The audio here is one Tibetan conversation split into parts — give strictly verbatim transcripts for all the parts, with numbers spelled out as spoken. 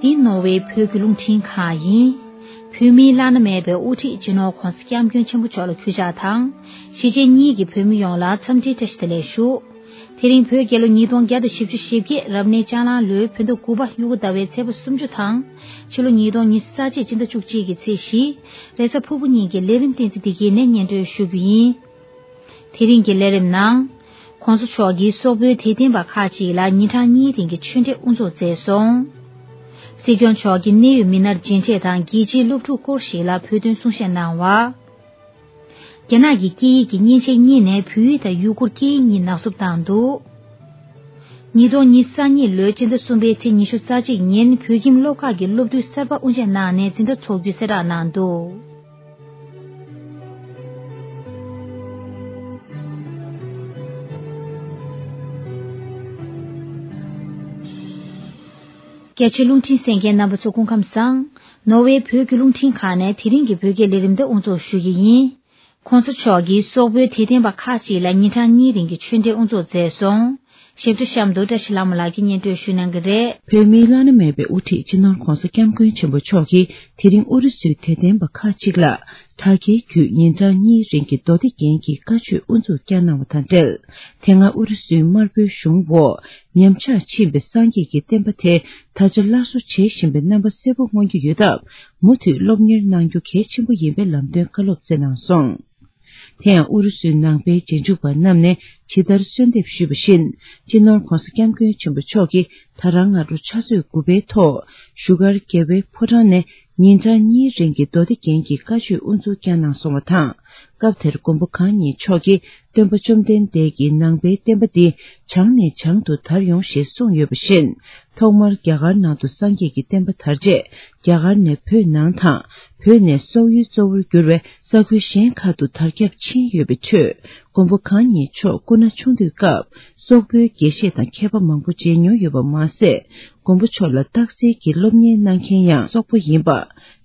འདི་ནོར་ཝེ་བོད་ཀྱི་རླུང་འཕྲིན་ཁང་ཡིན། བོད་མིའི་བླ་ན་མེད་པའི་དབུ་ཁྲིད་སྤྱི་ནོར་༧གོང་ས་༧སྐྱབས་མགོན་ཆེན་པོ་མཆོག་ལ་གུས་ཕྱག་དང་། གཞིས་བྱེས་གཉིས་ཀྱི་བོད་མི་ཡོངས་ལ་འཚམས་འདྲིའི་བཀྲ་ཤིས་བདེ་ལེགས་ཞུ། དེ་རིང་བོད་རྒྱལ་ལོ་ཉིས་སྟོང་བརྒྱ་དང་བཞི་བཅུ་ཞེ་བརྒྱད་རབ་གནས་ལྕགས་གླང་ལོའི་བོད་ཟླ་དགུ་པ་དབྱར་ཁ་ཟླ་བའི་ཚེས་པ་སུམ་ཅུ་དང་། ཕྱི་ལོ་ཉིས་སྟོང་ཉི་ཤུ་རྩ་གཅིག་སྤྱི་ཟླ་བཅུ་གཅིག་གི་ཚེས་བཞི། རེས་གཟའ་ཕུར་བུ་ཉིན་གྱི་ལས་རིམ་བསྟན་འཛིན་བདེ་སྐྱིད་ནས་སྙན་སྒྲོན་ཞུ་རྒྱུ་ཡིན། དེ་རིང་གི་ལས་རིམ་ནང་། ༧གོང་ས་མཆོག་གིས་སོག་པོའི་དད་ལྡན་པ་ཁག་ཅིག་ལ་ཉིན་གྲངས་གཉིས་རིང་གི་ཆོས་འབྲེལ་དབུ་འཛུགས་མཛད་སོང་། སྲིད་སྐྱོང་མཆོག་གིས་གནད་ཡོད་མི་སྣར་མཇལ་འཕྲད་དང་། རྒྱལ་སྤྱིའི་སློབ་ཕྲུག་སྐོར་ཞིག་ལ་བོད་དོན་གསུང་བཤད་གནང་བ། རྒྱ་ནག་གི་སྐད་ཡིག་གི་མཉེན་ཆས་གཉིས་ནས་བོད་ཡིག་དང་ཡུ་གུར་སྐད་ཡིག་གཉིས་ནག་བསུབ་བཏང་འདུག། ཉིས་སྟོང་ཉི་ཤུ་རྩ་གཉིས་ལོའི་སྤྱི་ཟླ་གསུམ་པའི་ཚེས་ཉི་ཤུ་རྩ་གཅིག་ཉིན་བོད་ཁྱིམ་སློབ་ཁག་གི་སློབ་དུས་གསར་པ་དབུ་འབྱེད་གནང་ནས་འཛིན་གྲྭ་འཚོགས་རྒྱུའི་གསལ་བསྒྲགས་གནང་འདུག། རྒྱ་ཆེ་རླུང་འཕྲིན་གསན་མཁན་རྣམ་པ་ཚོ་སྐུ་ཁམས་བཟང་། ནོར་ཝེ་བོད་ཀྱི་རླུང་འཕྲིན་ཁང་ནས་དེ་རིང་གི་བོད་སྐད་ལས་རིམ་འདི་དབུ་འཛུགས་ཞུ་གི་ཡིན། ༧གོང་ས་མཆོག་གིས་སོག་པོའི་དད་ལྡན་པ་ཁག་ཅིག་ལ་ཉིན་གྲངས་གཉིས་རིང་གི་ཆོས་འབྲེལ་དབུ་འཛུགས་མཛད་སོང་། ཞིབ་ཕྲ་གཤམ་དུ་བཀྲ་ཤིས་ལྷ་མོ་ལགས་ཀྱིས་སྙན་སྒྲོན་ཞུ་གནང་གི་རེད། བོད་མིའི་བླ་ན་མེད་པའི་དབུ་ཁྲིད་སྤྱི་ནོར་༧གོང་ས་༧སྐྱབས་མགོན་ཆེན་པོ་མཆོག་གིས་དེ་རིང་ཨུ་རུ་སུའི་དད་ལྡན་པ་ཁག་ཅིག་ལ་དྲ་རྒྱའི་བརྒྱུད་ཉིན་གྲངས་གཉིས་རིང་གི་མདོ་སྡེ་རྒྱན་གྱི་བཀའ་ཆོས་དབུ་འཛུགས་བསྐྱངས་གནང་བ་དང་འབྲེལ། དེ་སྔ་ཨུ་རུ་སུའི་དམར་པོའི་གཞུང་འོག་ཉམས་ཆག་ཕྱིན་པའི་སངས་རྒྱས་ཀྱི་བསྟན་པ་དེ་ད་ཆ་སླར་གསོ་བྱེད་བཞིན་པའི་རྣམ་པ་གསལ་པོ་མངོན་རྒྱུ་ཡོད་སྟབས། མུ་མཐུད་སློབ་གཉེར་གནང་རྒྱུ་གལ་ཆེན་པོ་ཡིན་པའི་ལམ་སྟོན་བཀའ་སློབ་སྩལ་གནང་སོང་། དེ་ཡང་ཨུ་རུ་སུའི་ནང་པའི་རྗེས་འཇུག་པ་རྣམས་ནས་ཇི་ལྟར་གསོལ་འདེབས་ཞུས་པ་བཞིན། སྤྱི་ནོར་༧གོང་ས་༧སྐྱབས་མགོན་ཆེན་པོ་མཆོག་གིས་ད་རང་སྔ་དྲོ་ཕྱག་ཚོད་དགུ་པའི་ཐོག་བཞུགས་སྒར་རྒྱལ་བའི་ཕོ་བྲང་ནས་ཉིན་གྲངས་གཉིས་རིང་གི་མདོ་སྡེ་རྒྱན་གྱི་བཀའ་ཆོས་དབུ་འཛུགས་བསྐྱངས་གནང་སོང་བ་དང་། སྐབས་དེར་མགོན་པོ་གང་ཉིད་མཆོག་གིས་སྟོན་པ་བཅོམ་ལྡན་འདས་ཀྱིས་ནང་པའི་བསྟན་པ་འདི་བྱང་ནས་བྱང་དུ་དར་ཡོང་ཞེས་གསུངས་ཡོད་པ་བཞིན། ཐོག་མར་རྒྱ་གར་ནང་དུ་སངས་རྒྱས་ཀྱི་བསྟན་པ་དར་རྗེས། རྒྱ་གར་ནས་བོད་ནང་དང་། བོད་ནས་སོག་ཡུལ་གཙོ་བོར་གྱུར་བའི་ས་ཁུལ་གཞན་ཁག་ཏུ་དར་ཁྱབ་ཕྱིན་ཡོད་པའི་ཁྲོད། མགོན་པོ་གང་ཉིད་མཆོག་སྐུ་ན་ཆུང་དུས་སྐབས། སོག་པོའི་དགེ་བཤེས་དང་མཁས་པ་མང་པོ་མཇལ་མྱོང་ཡོད་པ་མ་ཟད། མགོན་པོ་མཆོག་ལ་རྟགས་གསལ་གྱི་སློབ་གཉེར་གནང་མཁན་ཡང་སོག་པོ་ཡིན་པ།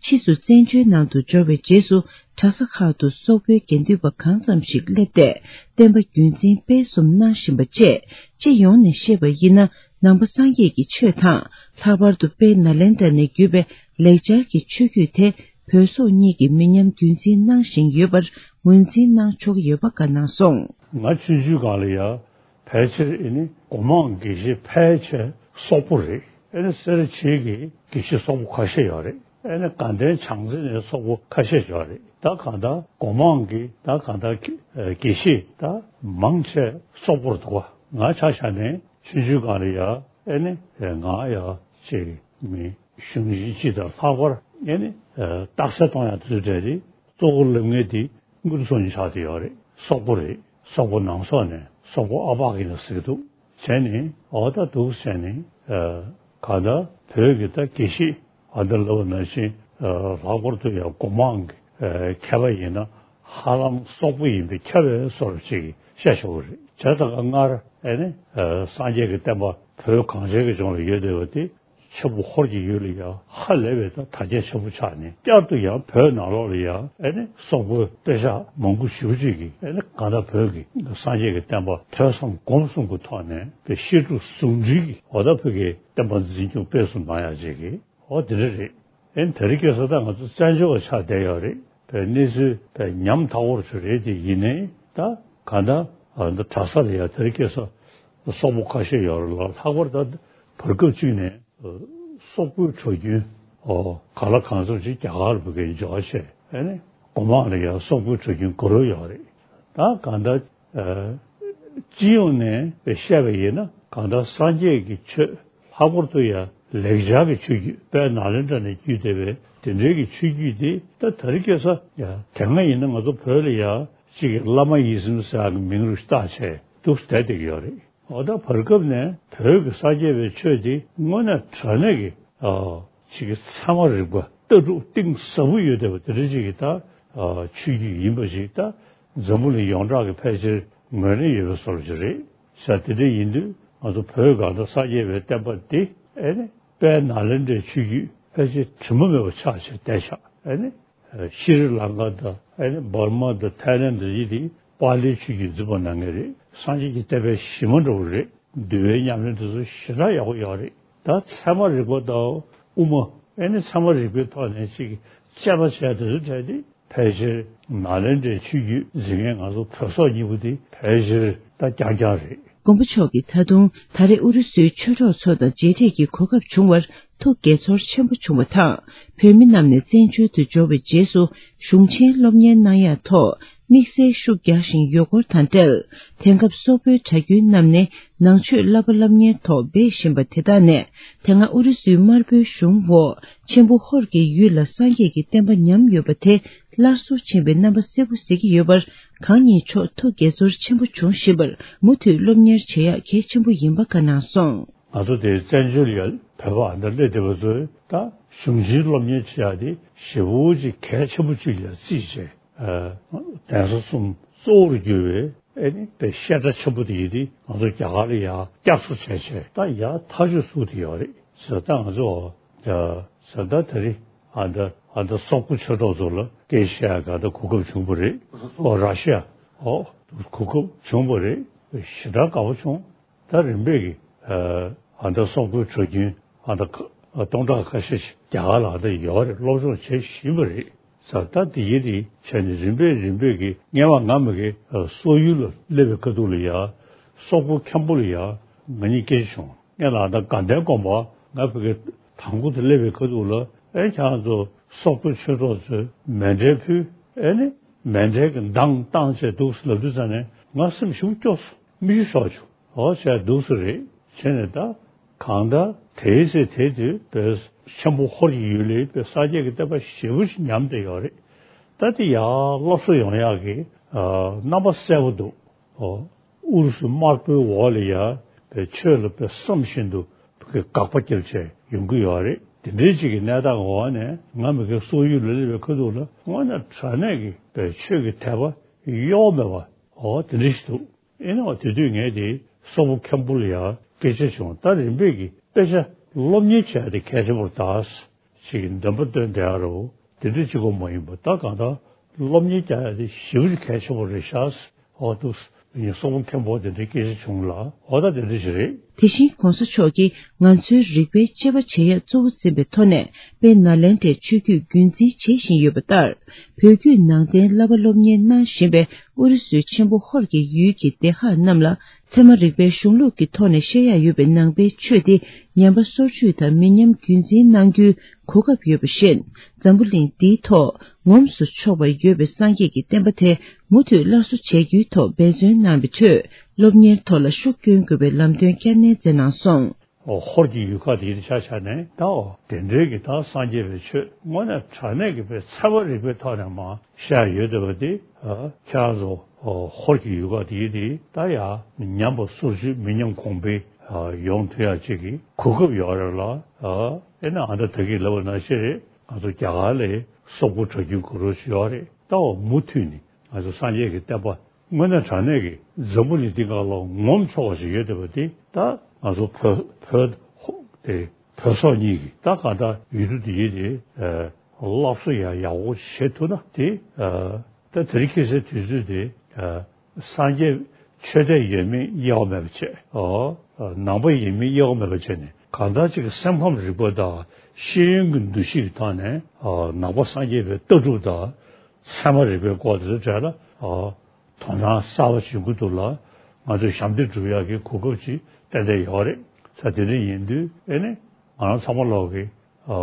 ཕྱིས་སུ་བཙན་བྱོལ་ནང་དུ་འབྱོར་བའི་རྗེས་སུ། གྲྭ་ས་ཁག་ཏུ་སོག་པོའི་དགེ་འདུན་པ་གང་ཙམ་ཞིག་སླེབས་ཏེ། བསྟན་པ་རྒྱུན་འཛིན་སྤེལ་གསུམ་གནང་བཞིན་པ་བཅས། སྤྱི་ཡོངས་ནས་བཤད་པ་ཡིན་ན། ནང་པ་སངས་རྒྱས་ཀྱི་ཆོས་དང་། ལྷག་པར་དུ་དཔལ་ནཱ་ལེནྡྲ་ནས་བརྒྱུད་པའི་ལེགས་སྦྱར་གྱི་ཆོས་བརྒྱུད་དེ། བོད་སོག་གཉིས་ཀྱི་མི་ཉམས་རྒྱུན་འཛིན་གནང་བཞིན་ཡོད་པར་ངོས་འཛིན་གནང་ཆོག་གི་ཡོད་པ་བཀའ་གནང་སོང་། ང་ཆུང་ཆུང་སྒང་ལ་ཡ། ཕལ་ཆེར་ཨེ་ནི་སྒོ་མང་དགེ་བཤེས་ཕལ་ཆེར་སོག་པོ་རེད། ཨེ་ནི་སེར་བྱེས་ཀྱི་དགེ་བཤེས་སོག་པོ་ཁ་ཤས་ཡོད་རེད། ཨེ་ནི་དགའ་ལྡན་བྱང་རྩེ་ནས་སོག་པོ་ཁ་ཤས་ཡོད་རེད། ད་གང་ལྟར་སྒོ་མང་གི་ད་གང་ལྟར་དགེ་བཤེས་ད་མང་ཆེ་སོག་པོར་འདུག་བ། ང་ཆ་བཞག་ནས་ཆུང་ཆུང་སྒང་ལ་ཡ་ཨེ་ནི་ང་ཡ་ཅིག་མི་གཞུང་ཆེན་སྤྱི་དང་ལྷག་པར་ཨེ་ནི་རྟགས་གསལ་གཏོང་ཡག་དུས་འབྲས་དེ། གཙོ་བོ་སླེབས་མཁན་དེ་དངུལ་སོང་ཆགས་དེ་ཡོད་རེད། སོག་པོ་རེད། སོག་པོ་ནང་སོག་ནས་སོག་པོ་ཨ་ཕ་གི་ནས་ཟེར་གི་འདུག་བྱས་ནས་འོ་ད་འདུག་བྱས་ནས་ག་ད་བོད་ཀྱི་ད་དགེ་བཤེས་ཨ་ད་ལབ་པ་ནང་བཞིན་ལྷག་པར་དུ་ཡང་སྒོ་མང་གི་མཁས་པ་ཡིན་ན་ཧ་ལམ་སོག་པོ་ཡིན་པས་ཁྱབ་པའི་བཟོ་འདྲ་ཅིག་བཤད་ཆོག་གི་རེད། བྱས་ཙང་ཀ་སྔར་ཨེ་ནི་སངས་རྒྱས་ཀྱི་བསྟན་པ་བོད་གངས་ཅན་གྱི་ལྗོངས་ལ་ཡོད་བསྡད་པ་དེ། ཆེན་པོ་ཧོར་གྱི་ཡུལ་ལ་ཡང་ཧ་ལས་པའི་ད་དར་རྒྱས་ཆེན་པོ་ཆགས་ནས་བསྐྱར་དུ་ཡང་བོད་ནང་ལོགས་ལ་ཡང་ཨེ་ནི་སོག་པོའི་དཔེ་ཆ་མང་པོ་ཞེ་པོ་ཅིག་གིས་ཨེ་ནི་གང་ལྟར་བོད་ཀྱི་སངས་རྒྱས་ཀྱི་བསྟན་པ་ཐོས་བསམ་སྒོམ་གསུམ་གྱི་ཐོག་ནས་དཔེ་བཤད་སྒྲུབ་ཟུང་འབྲེལ་གྱིས་འོ་ད་བོད་ཀྱི་བསྟན་པ་འཛིན་སྐྱོང་སྤེལ་གསུམ་གནང་ཡག་ཅིག་གིས་འོ་དེ་འདྲ་རེད། ཨེ་ནི་དེ་རིང་ཁ་སང་ད་ང་ཚོ་བཙན་བྱོལ་བ་ཆགས་བསྡད་ཡོད་རེད། དཔེ་གནས་ཚུལ་དཔེ་ཉམ་ཐག་པོ་ཅིག་རེད་དེ་ཡིན་ནའི་ད་གང་ལྟར་ཨ་ད་གྲྭ་ས་ལ་ཡང་དེ་རིང་ཁ་སང་སོག་པོ་ཁ་ཤས་ཡོད་རེད་ལ། ལྷག་པར་ད་བར་སྐབས་གཅིག་ནས། སོག་པོའི་གྲོས་རྒྱུན། ཨོ། ག་ལ་གང་འཚམ་ཞིག་རྒྱ་གར་བོད་སྐད་འཇོག་བྱས། ཨེ་ནི། སྒོ་མང་ལ་ཡང་སོག་པོའི་གྲོས་རྒྱུན་དགོས་རོགས་ཡོད་རེད། ད་གང་ལྟར། ཨ། སྤྱི་ཡོངས་ནས་བཤད་པ་ཡིན་ན་གང་ལྟར་སངས་རྒྱས་ཀྱི་ཆོས་ལྷག་པར་དུ་ཡང་ལེགས་སྦྱར་གྱི་ཆོས་བརྒྱུད་དཔལ་ནཱ་ལེནྡྲ་ནས་བརྒྱུད་བསྡད་པའི་དེ་འདྲའི་གི་ཆོས་བརྒྱུད་དེ་ད་དེ་རིང་ཁ་སང་ཡང་དེ་སྔ་ཡིན་ན་ང་ཚོ་བོད་ལ་ཡང་གཅིག་གི་བླ་མ་ཡིད་བཞིན་ཟེར་ཡག་གི་མིང་རུ་བཏགས་བྱས་འདུག་བསྡད་བསྡད་ཀྱི་ཡོད་རེད། འོ་ད་བར་སྐབས་ནས་བོད་ཀྱི་སངས་རྒྱས་པའི་ཆོས་འདི་དངོས་གནས་དྲང་གནས་ཀྱི་ཨ་ཅིག་གི་ཚད་མ་རིག་པ་ལྟ་གྲུབ་གཏིང་ཟབ་པོ་ཡོད་བསྡད་པ་དེ་འདྲ་ཅིག་གི་ད་ཨ་ཆོས་བརྒྱུད་ཡིན་པ་ཞིག་ད་འཛམ་བུ་གླིང་ཡོངས་གྲགས་ཀྱི་ཕལ་ཆེར་ངོས་ལེན་ཡོད་པའི་བཟོ་འདྲ་ཅིག་རེད། ས་དེ་འདྲ་ཡིན་དུས་ང་ཚོ་བོད་སྒང་ད་སངས་རྒྱས་པའི་བསྟན་པ་འདི་ཨེ་ནི་དཔལ་ནཱ་ལེནྡྲའི་ཆོས་བརྒྱུད་ཕལ་ཆེར་དྲི་མ་མེད་པ་ཆགས་བྱས་བསྡད་ཤག་ཨེ་ནི། ཤྲི་ལང་ཀ་དང་ཨེ་ནི་འབར་མ་དང་ཐའི་ལེན་དང་ཡི་དེ་པཱ་ལིའི་ཆོས་བརྒྱུད་འཛིན་པ་གནང་མཁན་རེད། སངས་རྒྱས་ཀྱི་བསྟན་པའི་གཞི་མ་འདྲ་བོ་རེད། འདུལ་བའི་ཉམས་ལེན་དེ་ཚོ་ཞེ་དྲག་ཡག་པོ་ཡོད་རེད། ད་ཚད་མ་རིག་པ་དང་ དབུ་མ་ཨེ་ནི་ཚད་མ་རིག་པའི་ཐོག་ནས་ཅིག་དཔྱད་པ་བྱས་དེ་ཚོ་བྱས་ཏེ་ཕལ་ཆེར་ནཱ་ལེནྡྲའི་ཆོས་བརྒྱུད་འཛིན་མཁན་ང་ཚོ་བོད་སོག་གཉིས་པོ་དེ་ཕལ་ཆེར་ད་རྐྱང་རྐྱང་རེད། མགོན་པོ་མཆོག་གིས་ད་དུང་ད་རེས་ཨུ་རུ་སུའི་ཆོས་གྲོགས་ཚོ་དང་མཇལ་འཕྲད་ཀྱི་གོ་སྐབས་བྱུང་བར་ཐུགས་དགྱེས་ཚོར་ཆེན་པོ་བྱུང་བ་དང་། བོད་མི་རྣམས་ནས་བཙན་བྱོལ་དུ་འབྱོར་བའི་རྗེས་སུ་གཞུང་ཆེན་སློབ་གཉེར་གནང་ཡག་ཐོག་དམིགས་བསལ་ཤུགས་རྒྱག་བཞིན་ཡོད་སྐོར་དང་འབྲེལ། དེང་སྐབས་སོག་པོའི་གྲྭ་རྒྱུན་རྣམས་ནས་ནང་ཆོས་བསླབ་པ་སློབ་གཉེར་ཐོག་འབད་བཞིན་པ་དེ་དག་ནས། དེ་སྔ་ཨུ་རུ་སུའི་དམར་པོའི་གཞུང་འོག་ཆེན་པོ་ཧོར་གྱི་ཡུལ་ལ་སངས་རྒྱས་ཀྱི་བསྟན་པ་ཉམས་ཡོད་པ་དེ་སླར་གསོ་ཕྱིན་པའི་རྣམ་པ་གསལ་པོ་གཟིགས་ཀྱི་ཡོད་པར། གང་ཉིད་མཆོག་ཐུགས་དགྱེས་ཚོར་ཆེན་པོ་བྱུང་བཞིན་པར། མུ་མཐུད་སློབ་གཉེར་བྱེད་ཡག་གལ་ཆེན་པོ་ཡིན་པ་བཀའ་གནང་སོང་། ང་ཚོ་དེ་བཙན་བྱོལ་ལ་བོད་པ་ཨ་འདྲ་སླེབས་བསྡད་པ་ཚོས་ད་གཞུང་ཆེན་སློབ་གཉེར་བྱེད་ཡག་དེ་ཞེ་པོ་ཅིག་གལ་ཆེན་པོ་ཅིག་ལ་བརྩིས་བྱས། ཨ། གདན་ས་གསུམ་གཙོ་བོར་གྱུར་བའི་ཨེ་ནི་དཔེ་བཤད་གྲྭ་ཆེན་པོ་དེ་ཡིན་དེ་ང་ཚོ་རྒྱ་གར་ལ་ཡ་བསྐྱར་གསོ་བྱས་བྱས་ད་ཡ་ཐག་གཅོད་ཚུགས་དེ་ཡོད་རེད་ཟེར། ད་ང་ཚོ་ད་ཟེར་ད་དེ་རིང་ཨ་ད་ཨ་ད་སོག་པོ་ཆོས་གྲོགས་ཚོ་ལ་སྐད་ཆ་བཤད་ག་ད་གོ་སྐབས་བྱུང་བ་རེད། ཨོ་ར་ཤི་ཡ་ཨོ་གོ་སྐབས་བྱུང་བ་རེད། ཞེ་དྲག་དགའ་པོ་བྱུང་། ད་རིམ་པས་ཀྱི་ཨ་ད་སོག་པོའི་གྲྭ་རྒྱུན་ཨ་ད་སྟོང་ཕྲག་ཁ་ཤས་ཤིག་རྒྱ་གར་ལ་ཨ་ད་ཡོད་རེད། སློབ་སྦྱོང་བྱེད་བཞིན་པ་རེད་ཟེར། ད་དེ་ཡིན་དེ་བྱས་ནས་རིམ་པས་རིམ་པས་ཀྱི་སྔན་མ་ང་མ་གི་སོག་ཡུལ་ལ་སླེབས་པའི་ཁ་ཐུག་ལ་ཡ་སོག་པོ་མཁན་པོ་ལ་ཡ་ང་གཉིས་སྐད་ཆ་བྱུང་། ངས་ལ་ད་དགའ་ལྡན་དགོན་པ་ང་ཕ་གི་དང་པོ་དེ་སླེབས་པའི་ཁ་ཐུག་ལ་ཨེ་ཁྱེད་རང་ཚོ་སོག་པོའི་ཆོས་གྲོགས་ཚོས་མཎྜལ་ཕུལ་ཨེ་ནི་མཎྜལ་གྱི་མདངས་བཏང་བྱས་འདུག་ལབ་དུས་ཙ་ནས་ང་སེམས་ཞེ་པོ་སྐྱོ་སོང་། མིག་ཆུ་ཤོར་བྱུང་། ཨོ་བྱས་འདུག་སེ་རེད་བྱས་ནས་ད་གང་ལྟར་དེའི་ཚེ་དེ་དུས་པའི་ཆེན་པོ་ཧོར་གྱི་ཡུལ་ལ་པའི་སངས་རྒྱས་ཀྱི་བསྟན་པ་ཞེ་པོ་ཞིག་ཉམས་བསྡད་ཡོད་རེད། ད་དེ་ཡར་སློབ་གསོ་ཡོང་ཡག་གི་ཨ་རྣམ་པ་གསལ་པོ་འདུག་ཨོ། ཨུ་རུ་སུ་དམར་པོའི་འོག་ལ་ཡ་པའི་ཆོས་ལ་པའི་བསམ་བཞིན་དུ་པའི་དགག་པ་བརྒྱབ་བྱས་ཡོང་གི་ཡོད་རེད། དེ་འདྲའི་ཅིག་གི་གནས་སྟངས་འོག་ནས་ང་མི་དགེ་སོག་ཡུལ་ལ་སླེབས་པའི་ཁ་ཐུག་ལ་དངོས་གནས་དྲང་གནས་ཀྱི་པའི་ཆོས་ཀྱི་དད་པ་གཡོ་མེད་པ་འོ་དེ་འདྲ་ཞིག་འདུག་ཨེ་ནི་འོ་དེ་དུས་ངས་དེ་སོག་པོ་མཁན་པོ་ལ་ཡ་སྐད་ཆ་བྱུང་། ད་རིམ་པས་ཀྱི་དཔེ་ཆ་སློབ་གཉེར་བྱས་ཏེ་གལ་ཆེན་པོར་གདའ། ཅིག་འདོན་པ་བཏོན་བསྡད་ཡ་རོ། དེ་འདྲ་གཅིག་པོ་མ་ཡིན་པ་ད་གང་ལྟར་སློབ་གཉེར་རྒྱག་ཡ་དེ་ཞེ་པོ་ཅིག་གལ་ཆེན་པོ་རེད་ཤག་འོ་འདུག་ངས་སོག་པོ་མཁན་པོ་དེ་འདྲའི་སྐད་ཆ་བྱུང་ལ་འོ་ད་དེ་འདྲ་ཞིག་རེད། དེ་བཞིན་གོང་ས་མཆོག་གིས་ང་ཚོའི་རིག་པའི་དཔྱད་པ་བྱེད་ཡ་གཙོ་བོ་འཛིན་པའི་ཐོག་ནས་དཔལ་ནཱ་ལེནྡྲའི་ཆོས་བརྒྱུད་རྒྱུན་འཛིན་བྱེད་བཞིན་ཡོད་པ་ལྟར། བོད་བརྒྱུད་ནང་བསྟན་བསླབ་པ་སློབ་གཉེར་གནང་བཞིན་པའི་ཨུ་རུ་སུའི་ཆེན་པོ་ཧོར་གྱི་ཡུལ་གྱི་སྡེ་ཁག་རྣམས་ལ། ཚད་མ་རིག་པའི་གཞུང་ལུགས་ཀྱི་ཐོག་ནས་བཤད་ཡ་ཡོད་པའི་ནང་པའི་ཆོས་དེ་ཉམས་པ་སོར་ཆུད་དང་མི་ཉམས་རྒྱུན་འཛིན་གནང་རྒྱུའི་གོ་སྐབས་ཡོད་པ་བཞིན། འཛམ་བུ་གླིང་འདིའི་ཐོག་ངོམས་སུ་ཆོག་པ་ཡོད་པའི་སངས་རྒྱས་ཀྱི་བསྟན་པ་དེ་མུ་མཐུད་སླར་གསོ་བྱེད་རྒྱུའི་ཐོག་འབད་བརྩོན་གནང་བའི་ཁྲོད། སློབ་གཉེར་ཐོག་ལ་ཤུགས་བསྐྱོན་དགོས་པའི་ལམ་སྟོན་བསྐྱར་ནན་མཛད་གནང་སོང་། ཧོར་གྱི་ཡུལ་ཁག་དེའི་ཆ་བཞག་ནས་ད་འོ་དེ་འདྲའི་གི་ད་སངས་རྒྱས་པའི་ཆོས་དངོས་གནས་དྲང་གནས་ཀྱི་པའི་ཚད་མ་རིག་པའི་ཐོག་ནས་མ་བཤད་ཡོད་བསྡད་པ་དེ་ཁྱེད་རང་ཚོ་ཧོར་གྱི་ཡུལ་ཁག་དེའི་དེ་ད་ཡ་ཉམས་པ་སོར་ཆུད་མི་ཉམས་གོང་འཕེལ་ཡོང་ཐུབ་ཡ་ཅིག་གི་གོ་སྐབས་ཡོད་རེད་ལ། ཨེ་ན་ཨ་ད་ད་གིན་ལབ་པ་ནང་བཞིན་རེད། ང་ཚོ་རྒྱ་གར་ལ་སོག་པོ་གྲྭ་རྒྱུན་གོ་རོ་ཞིག་ཡོད་རེད། ད་འོ་མུ་མཐུད་ནས་ང་ཚོ་སངས་རྒྱས་ཀྱི་བསྟན་པ་དངོས་གནས་དྲང་གནས་ཀྱི་འཛམ་བུ་གླིང་འདི་སྒང་ལ་ངོམ་ཆོག་པ་ཞིག་ཡོད་བསྡད་པ་དེ་ད་ང་ཚོ་བོད་བོད་དེ་བོད་སོག་གཉིས་ཀྱིས་ད་གང་ལྟར་ཡུལ་གྲུ་འདི་ཡི་དེ་སློབ་གསོ་ཡང་ཡག་པོ་བྱེད་ཐུབ་ན་དེ་ད་དེ་རིང་ཁ་སང་དུས་ཚོད་དེ་སངས་རྒྱས་ཆོས་དད་ཡོད་མེད་དབྱེ་བ་མེད་པ་བྱས། ཨོ། ནང་པ་ཡོད་མེད་དབྱེ་བ་མེད་པ་བྱས་ནས་གང་ལྟར་ཅིག་གི་སེམས་ཁམས་རིག་པ་དང་ཤེས་ཡོན་གྱི་འདུ་ཤེས་ཀྱི་ཐོག་ནས་ནང་པ་སངས་རྒྱས་པའི་ལྟ་གྲུབ་དང་། ཚད་མ་རིག་པའི་སྐོར་དེ་ཚོ་གྲས་ལ་ཨ་དོ་སྣང་གསར་པ་བྱེད་དགོས་འདུག་ལ། ང་ཚོས་ཞབས་འདེགས་སྒྲུབ་ཡག་གི་གོ་སྐབས་ཅིག་ཏན་ཏན་ཡོད་རེད། ས་དེ་འདྲ་ཡིན་དུས་ཨེ་ནི་ང་རང་ཚང་མ་ལོག་གི་ཨ་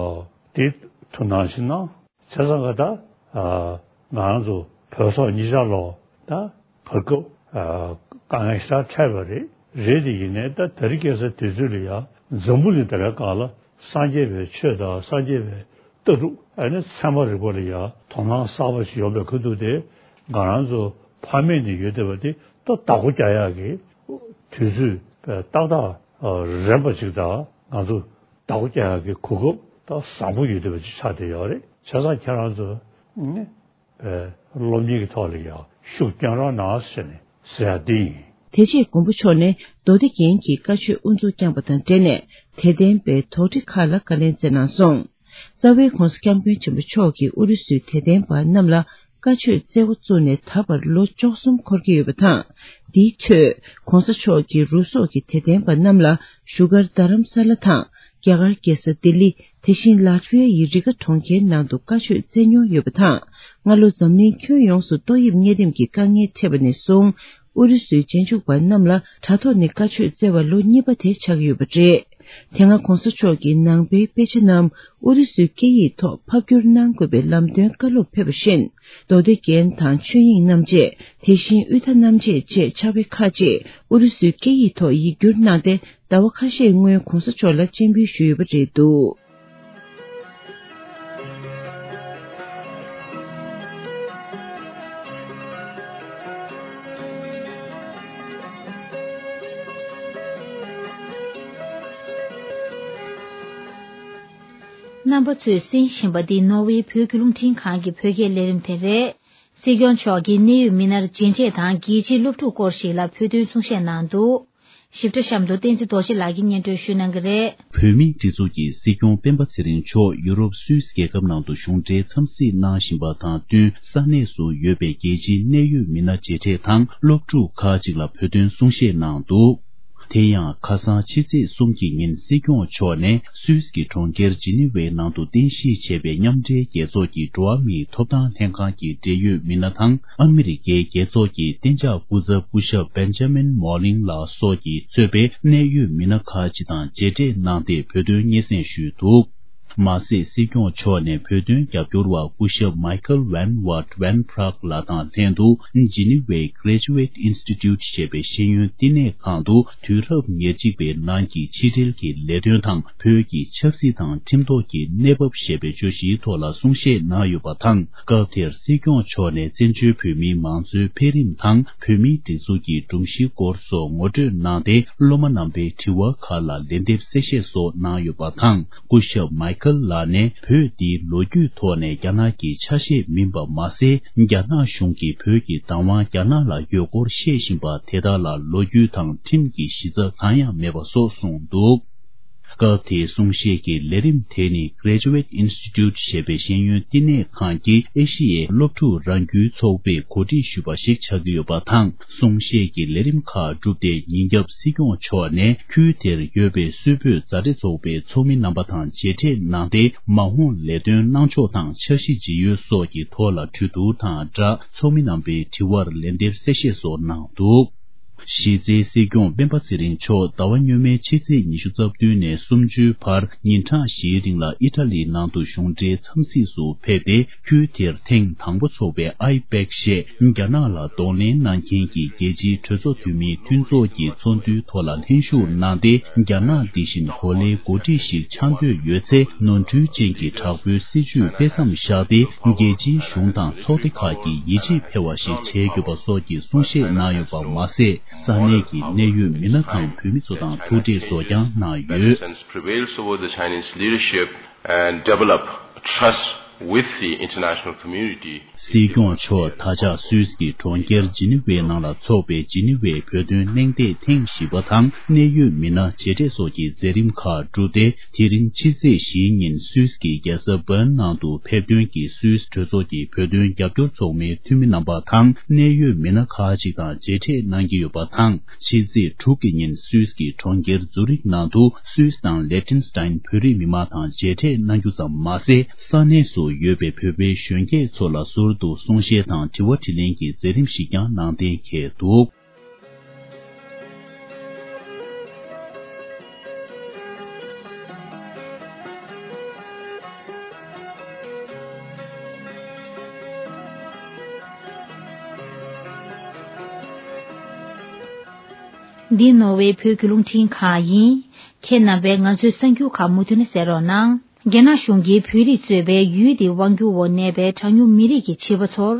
དེ་ཐུགས་སྣང་ཞིག་གནང་། བྱས་ཙང་ག་ད་ཨ་ང་རང་ཚོ་བོད་སོག་གཉིས་ཆར་ལོག་ད་བར་སྐབས་ཨ་དཀའ་ངལ་ཞེ་དྲག་འཕྲད་པ་རེད། རེད་དེ་ཡིན་ནའི་ད་དེ་རིང་ཁ་སང་དུས་ཚོད་ལ་ཡ་འཛམ་བུ་གླིང་ད་གའི་སྒང་ལ་སངས་རྒྱས་པའི་ཆོས་དང་སངས་རྒྱས་པའི་ལྟ་གྲུབ་ཨ་ནི་ཚད་མ་རིག་པ་ལ་ཡང་དོ་སྣང་གསར་པ་ཞིག་ཡོང་པའི་ཁུལ་དུ་དེ་ང་རང་ཚོ་ཕ་མེས་ནས་ཡོད་བསྡད་པ་དེ་ད་བདག་པོ་རྒྱག་ཡག་གི་དུས་ཚོད་ཏག་ཏག་རན་པ་ཅིག་དང་ང་ཚོ་བདག་པོ་རྒྱག་ཡག་གི་གོ་སྐབས་ད་བཟང་པོ་ཡོད་བསྡད་པ་ཅིག་ཆགས་བསྡད་ཡོད་རེད། བྱས་ཙང་ཁྱེད་རང་ཚོ་ནི་སློབ་གཉེར་གྱི་ཐོག་ལ་ཡང་ཤུགས་བསྐྱོན་རོགས་གནང་ཟེར་ནས་ཟེར་ཡ་འདི་ཡིན། དེ་རྗེས་མགོན་པོ་མཆོག་ནས་མདོ་སྡེ་རྒྱན་གྱི་བཀའ་ཆོས་དབུ་འཛུགས་བསྐྱངས་པ་དང་འབྲེལ་ནས་དད་ལྡན་པའི་དོགས་འདྲི་ཁག་ལ་བཀའ་ལན་སྩལ་གནང་སོང་། རྩ་བའི་༧གོང་ས་༧སྐྱབས་མགོན་ཆེན་པོ་མཆོག་གིས་ཨུ་རུ་སུའི་དད་ལྡན་པ་རྣམས་ལ་བཀའ་ཆོས་སྩལ་འགོ་བཙུགས་ནས་ད་བར་ལོ་བཅུ་གསུམ་འཁོར་གྱི་ཡོད་པ་དང་། འདིའི་ཁྲོད་༧གོང་ས་མཆོག་གིས་རུ་སོག་གི་དད་ལྡན་པ་རྣམས་ལ་བཞུགས་སྒར་རྡ་རམ་ས་ལ་དང་རྒྱ་གར་རྒྱལ་ས་ལྡི་ལི། དེ་བཞིན་ལཱ་ཐི་ཝི་ཡའི་རི་ག་གྲོང་ཁྱེར་ནང་དུ་བཀའ་ཆོས་སྩལ་མྱོང་ཡོད་པ་དང་། སྔ་ལོ་འཛམ་གླིང་ཁྱོན་ཡོངས་སུ་ཏོག་དབྱིབས་ནད་རིམས་ཀྱི་དཀའ་ངལ་འཕྲད་པ་ནས་བཟུང་། ཨུ་རུ་སུའི་རྗེས་འཇུག་པ་རྣམས་ལ་དྲ་ཐོག་ནས་བཀའ་ཆོས་སྩལ་བ་ལོ་གཉིས་པ་དེ་ཆགས་ཡོད་པ་རེད། དེ་སྔ་གོང་ས་མཆོག་གིས་ནང་པའི་དཔེ་ཆ་རྣམས་ཨུ་རུ་སུའི་སྐད་ཡིག་ཐོག་ཕབ་བསྒྱུར་གནང་དགོས་པའི་ལམ་སྟོན་བཀའ་སློབ་ཕེབས་པ་བཞིན། མདོ་སྡེ་རྒྱན་དང་ཆོས་དབྱིངས་རྣམ་འབྱེད། དེ་བཞིན་དབུས་མཐའ་རྣམ་འབྱེད་བཅས་ཕྱག་དཔེ་ཁག་ཅིག་ཨུ་རུ་སུའི་སྐད་ཡིག་ཐོག་ཡིག་བསྒྱུར་གནང་སྟེ། ཟླ་བ་ཁ་ཤས་སྔོན་གོང་ས་མཆོག་ལ་སྤྱན་འབུལ་ཞུས་ཡོད་པ་རེད་འདུག་རྣམ་པ་ཚོས་གསན་བཞིན་པ་འདི་ནོར་ཝེ་བོད་ཀྱི་རླུང་འཕྲིན་ཁང་གི་བོད་སྐད་ལས་རིམ་དེ་རེད། སྲིད་སྐྱོང་མཆོག་གིས་གནད་ཡོད་མི་སྣར་མཇལ་འཕྲད་དང་རྒྱལ་སྤྱིའི་སློབ་ཕྲུག་སྐོར་ཞིག་ལ་བོད་དོན་གསུང་བཤད་གནང་འདུག་ཞིབ་ཕྲ་གཤམ་དུ་བསྟན་འཛིན་རྡོ་རྗེ་ལགས་ཀྱིས་སྙན་སྒྲོན་ཞུ་གནང་གི་རེད། བོད་མིའི་སྒྲིག་འཛུགས་ཀྱི་སྲིད་སྐྱོང་སྤེན་པ་ཚེ་རིང་མཆོག་ཡུ་རོབ་སུད་སི་རྒྱལ་ཁབ་ནང་དུ་གཞུང་འབྲེལ་འཚམས་གཟིགས་གནང་བཞིན་པ་དང་བསྟུན། ས་གནས་སུ་ཡོད་པའི་རྒྱལ་སྤྱིའི་གནད་ཡོད་མི་སྣ་མཇལ་འཕྲད་དང་སློབ་ཕྲུག་ཁག་ཅིག་ལ་བོད་དོན་གསུང་བཤད་གནང་འདུག་དེ་ཡང་ཁ་སང་ཕྱི་ཚེས་གསུམ་གྱི་ཉིན་སྲིད་སྐྱོང་མཆོག་ནས་སུད་སི་གི་གྲོང་ཁྱེར་ཇི་ནི་ཝའི་ནང་དུ་རྟེན་གཞི་བྱས་པའི་མཉམ་འབྲེལ་རྒྱལ་ཚོགས་ཀྱི་འགྲོ་བ་མིའི་ཐོབ་ཐང་ལྷན་ཁང་གི་འབྲེལ་ཡོད་མི་སྣ་དང་། ཨ་མི་རི་ཀའི་རྒྱལ་ཚོགས་ཀྱི་གཏན་འཇགས་སྐུ་ཚབ་སྐུ་ཞབས་Benjamin Moullin ལགས་སོགས་ཀྱིས་གཙོས་པའི་གནད་ཡོད་མི་སྣ་ཁག་ཅིག་དང་མཇལ་འཕྲད་གནང་སྟེ་བོད་དོན་སྙན་སེང་ཞུས་འདུག་མ་ཟད། སྲིད་སྐྱོང་མཆོག་ནས་བོད་དོན་རྒྱབ་སྐྱོར་བ་སྐུ་ཞབས་Michael Van Wert Van Praag ལགས་དང་ལྷན་དུ། ཇི་ནི་ཝའི་Graduate Institute ཞེས་པའི་ཤེས་ཡོན་བསྟི་གནས་ཁང་དུ། དུས་རབས་ཉེར་གཅིག་པའི་ནང་གི་ཕྱི་འབྲེལ་གྱི་ལས་དོན་དང་། བོད་ཀྱི་ཆབ་སྲིད་དང་ཁྲིམས་ཐོག་གི་གནས་བབ་ཞེས་པའི་བརྗོད་གཞིའི་ཐོག་ལ་གསུང་བཤད་གནང་ཡོད་པ་དང་། སྐབས་དེར་སྲིད་སྐྱོང་མཆོག་ནས་བཙན་བྱོལ་བོད་མིའི་མང་གཙོའི་འཕེལ་རིམ་དང་། བོད་མིའི་སྒྲིག་འཛུགས་ཀྱི་སྒྲོམ་གཞིའི་སྐོར་སོགས་ངོ་སྤྲོད་གནང་སྟེ། སློབ་མ་རྣམ་པའི་དྲི་བ་ཁག་ལ་ལན་འདེབས་གསལ་བཤད་སོགས་གནང་ཡོད་པ་དང་། སྐུ་ཞབས་མའི་ཁལ་ལགས་ནས། བོད་འདི་ལོ་རྒྱུས་ཐོག་ནས་རྒྱ་ནག་གི་ཆ་ཤས་མིན་པ་མ་ཟད། རྒྱ་ནག་གཞུང་གིས་བོད་ཀྱི་བདག་དབང་རྒྱ་ནག་ལ་ཡོད་སྐོར་བཤད་བཞིན་པ་དེ་དག་ལ་ལོ་རྒྱུས་དང་ཁྲིམས་ཀྱི་གཞི་རྩ་གང་ཡང་མེད་པ་སོགས་གསུངས་འདུག་སྐབས་དེའི་གསུང་བཤད་ཀྱི་ལས་རིམ་དེ་ནི་Graduate Institute ཞེས་པའི་ཤེས་ཡོན་བསྟི་གནས་ཁང་གིས་ཨེ་ཤི་ཡའི་སློབ་ཕྲུག་རང་འགུལ་ཚོགས་པས་གོ་སྒྲིག་ཞུས་པ་ཞིག་ཆགས་ཀྱི་ཡོད་པ་དང་། གསུང་བཤད་ཀྱི་ལས་རིམ་ཁག་གྲུབ་སྟེ། ཉིན་རྒྱབ་སྲིད་སྐྱོང་མཆོག་ནས་ཁུལ་དེར་ཡོད་པའི་སུད་བོད་མཛའ་འབྲེལ་ཚོགས་པའི་ཚོགས་མི་རྣམ་པ་དང་མཇལ་འཕྲད་གནང་སྟེ། མ་འོངས་ལས་དོན་གནང་ཕྱོགས་དང་། འཆར་གཞི་ཇི་ཡོད་སོགས་ཀྱི་ཐོག་ལ་གྲོས་བསྡུར་དང་སྦྲགས། ཚོགས་མི་རྣམ་པའི་དྲི་བར་ལན་འདེབས་གསལ་བཤད་སོགས་གནང་འདུག་གཞི་རྩའི་སྲིད་སྐྱོང་སྤེན་པ་ཚེ་རིང་མཆོག་ཟླ་བ་སྔོན་མའི་ཕྱི་ཚེས་ཉི་ཤུ་རྩ་བདུན་ནས་སུམ་ཅུའི་བར་ཉིན་གྲངས་བཞིའི་རིང་ལ་ཨི་ཊ་ལིའི་ནང་དུ་གཞུང་འབྲེལ་འཚམས་གཟིགས་སུ་ཕེབས་ཏེ། ཁུལ་དེར་ཐེངས་དང་པོ་ཚོགས་པའི་ཨའི་པེག་ཞེས་རྒྱ་ནག་ལ་གདོང་ལེན་གནང་མཁན་གྱི་རྒྱལ་སྤྱིའི་གྲོས་ཚོགས་འཐུས་མིའི་མཐུན་ཚོགས་ཀྱི་ཚོགས་འདུའི་ཐོག་ལ་ལྷན་ཞུགས་གནང་སྟེ། རྒྱ་ནག་འདི་བཞིན་གོ་ལའི་འགོ་ཁྲིད་ཞིག་ཆགས་འདོད་ཡོད་ཚེ། ནོར་འཁྲུལ་ཅན་གྱི་དྲག་པོའི་སྲིད་ཇུས་སྤེལ་མཚམས་བཞག་སྟེ། རྒྱལ་སྤྱིའི་གཞུང་དང་ཚོགས་སྡེ་ཁག་གིས་ཡིད་ཆེས་འཕེར་བ་ཞིག་བྱེད་དགོས་པ་སོགས་ཀྱི་གསུང་བཤད་གནང་ཡོད་པ་མ་ཟད། ས་གནས་ཀྱི་གནད་ཡོད་མི་སྣ་དང་བོད་མི་ཚོ་དང་ཐུག་འཕྲད་སོགས་ཀྱང་གནང་ཡོད། Prevails over the Chinese leadership and develop trust with the international community. སྲིད་སྐྱོང་མཆོག་ད་ཆ་སུད་སི་གི་གྲོང་ཁྱེར་ཇི་ནི་ཝའི་ནང་ལ་འཚོགས་པའི་ཇི་ནི་ཝའི་བོད་དོན་གླེང་སྟེགས་ཐེངས་བཞི་པ་དང་། གནད་ཡོད་མི་སྣ་མཇལ་འཕྲད་སོགས་ཀྱི་མཛད་རིམ་ཁག་གྲུབ་སྟེ། དེ་རིང་ཕྱི་ཚེས་བཞིའི་ཉིན་སུད་སི་གི་རྒྱལ་ས་བྷརན་ནང་དུ་ཕེབས་ཐོན་གྱི་སུད་སི་གྲོས་ཚོགས་ཀྱི་བོད་དོན་རྒྱབ་སྐྱོར་ཚོགས་མིའི་འཐུས་མི་རྣམ་པ་དང་། གནད་ཡོད་མི་སྣ་ཁག་ཅིག་དང་མཇལ་འཕྲད་གནང་གི་ཡོད་པ་དང་། ཕྱི་ཚེས་དྲུག་གི་ཉིན་སུད་སི་གི་གྲོང་ཁྱེར་ཛུ་རིག་ནང་དུ་སུད་སི་དང་ལེག་ཊེན་སི་ཊེན་བོད་རིགས་མི་མང་དང་མཇལ་འཕྲད་གནང་རྒྱུ་ཙམ་མ་ཟད། ས་གནས་སུ་ཡོད་པའི་བོད་པའི་གཞོན་སྐྱེས་ཚོ་ལ་ཟུར་དུ་གསུང་བཤད་དང་དྲི་བ་དྲིས་ལན་གྱི་མཛད་རིམ་ཞིག་ཀྱང་གནང་གཏན་འཁེལ་འདུག་འདི་ནོར་ཝེ་བོད་ཀྱི་རླུང་འཕྲིན་ཁང་ཡིན། ཁྱེད་རྣམ་པས་ང་ཚོའི་གསར་འགྱུར་ཁག་མུ་མཐུད་ནས་གསན་རོགས་གནང་། རྒྱ་ནག་གཞུང་གིས་བོད་རིགས་གཙོས་པའི་ཡུལ་དེའི་དབང་སྒྱུར་འོག་གནས་པའི་གྲངས་ཉུང་མི་རིགས་ཀྱི་བྱིས་པ་ཚོར།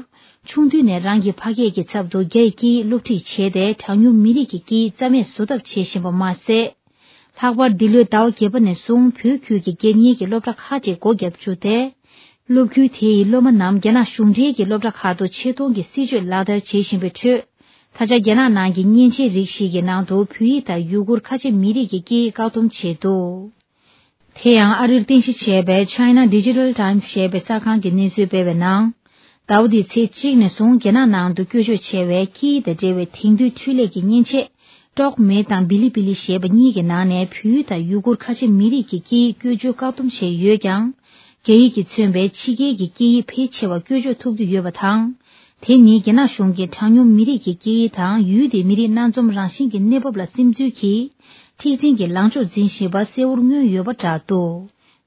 ཆུང་དུས་ནས་རང་གི་ཕ་སྐད་ཀྱི་ཚབ་ཏུ་རྒྱ་ཡི་སྐད་ཡིག་སློབ་ཁྲིད་བྱས་ཏེ། གྲངས་ཉུང་མི་རིགས་ཀྱི་སྐད་ཡིག་རྩ་མེད་བཟོ་ཐབས་བྱེད་བཞིན་པ་མ་ཟད། ལྷག་པར་འདི་ལོའི་ཟླ་བ་བརྒྱད་པ་ནས་བཟུང་བོད་ཁུལ་གྱི་སྒེར་གཉེར་གྱི་སློབ་གྲྭ་ཁག་ཅིག་སྒོ་བརྒྱབ་བཅུག་སྟེ། སློབ་ཁུལ་དེ་ཡི་སློབ་མ་རྣམས་རྒྱ་ནག་གཞུང་འབྲེལ་གྱི་སློབ་གྲྭ་ཁག་ཏུ་ཆེད་གཏོང་གི་སྲིད་བྱུས་ལག་བསྟར་བྱེད་བཞིན་པའི་ཁྲོད། ད་ཆ་རྒྱ་ནག་ནང་གི་མཉེན་ཆས་རིགས་ཤིག་གི་ནང་དུ་བོད་ཡིག་དང་ཡུ་གུར་ཁ་ཆེ་མི་རིགས་ཀྱི་སྐད་ཡིག་བཀག་སྡོམ་བྱས་འདུག་དེ་ཡང་ཨ་རིར་རྟེན་གཞི་བྱས་པའི་China Digital Times ཞེས་པའི་གསར་ཁང་གིས་གནས་ཚུལ་སྤེལ་བའི་ནང་། ཟླ་བ་འདིའི་ཚེས་གཅིག་ནས་བཟུང་རྒྱ་ནག་ནང་དུ་བཀོལ་སྤྱོད་བྱས་པའི་སྐད་ཡིག་དང་འབྲེལ་བའི་དེང་དུས་འཕྲུལ་ལས་ཀྱི་མཉེན་ཆས། ཀྲོག་མེ་དང་བི་ལི་བི་ལི་ཞེས་པ་གཉིས་ཀྱི་ནང་ནས་བོད་ཡིག་དང་ཡུ་གུར་ཁ་ཆེ་མི་རིགས་ཀྱི་སྐད་ཡིག་བཀོལ་སྤྱོད་བཀག་སྡོམ་བྱས་ཡོད་ཀྱང་། རྒྱ་ཡིག་གིས་མཚོན་པའི་ཕྱི་རྒྱལ་གྱི་སྐད་ཡིག་ཕལ་ཆེ་བ་བཀོལ་སྤྱོད་ཐུབ་ཀྱི་ཡོད་པ་དང་། དེ་ནི་རྒྱ་ནག་གཞུང་གིས་གྲངས་ཉུང་མི་རིགས་ཀྱི་སྐད་ཡིག་དང་ཡུལ་དེའི་མི་རིགས་སྣ་འཛོམས་རང་བཞིན་གྱི་གནས་བབ་ལ་སིམ་འཛུལ་གྱིས། མཁྲེགས་འཛིན་གྱི་ལངས་ཕྱོགས་འཛིན་བཞིན་པ་གསལ་བོར་མངོན་ཡོད་པ་འདྲ་འདུག་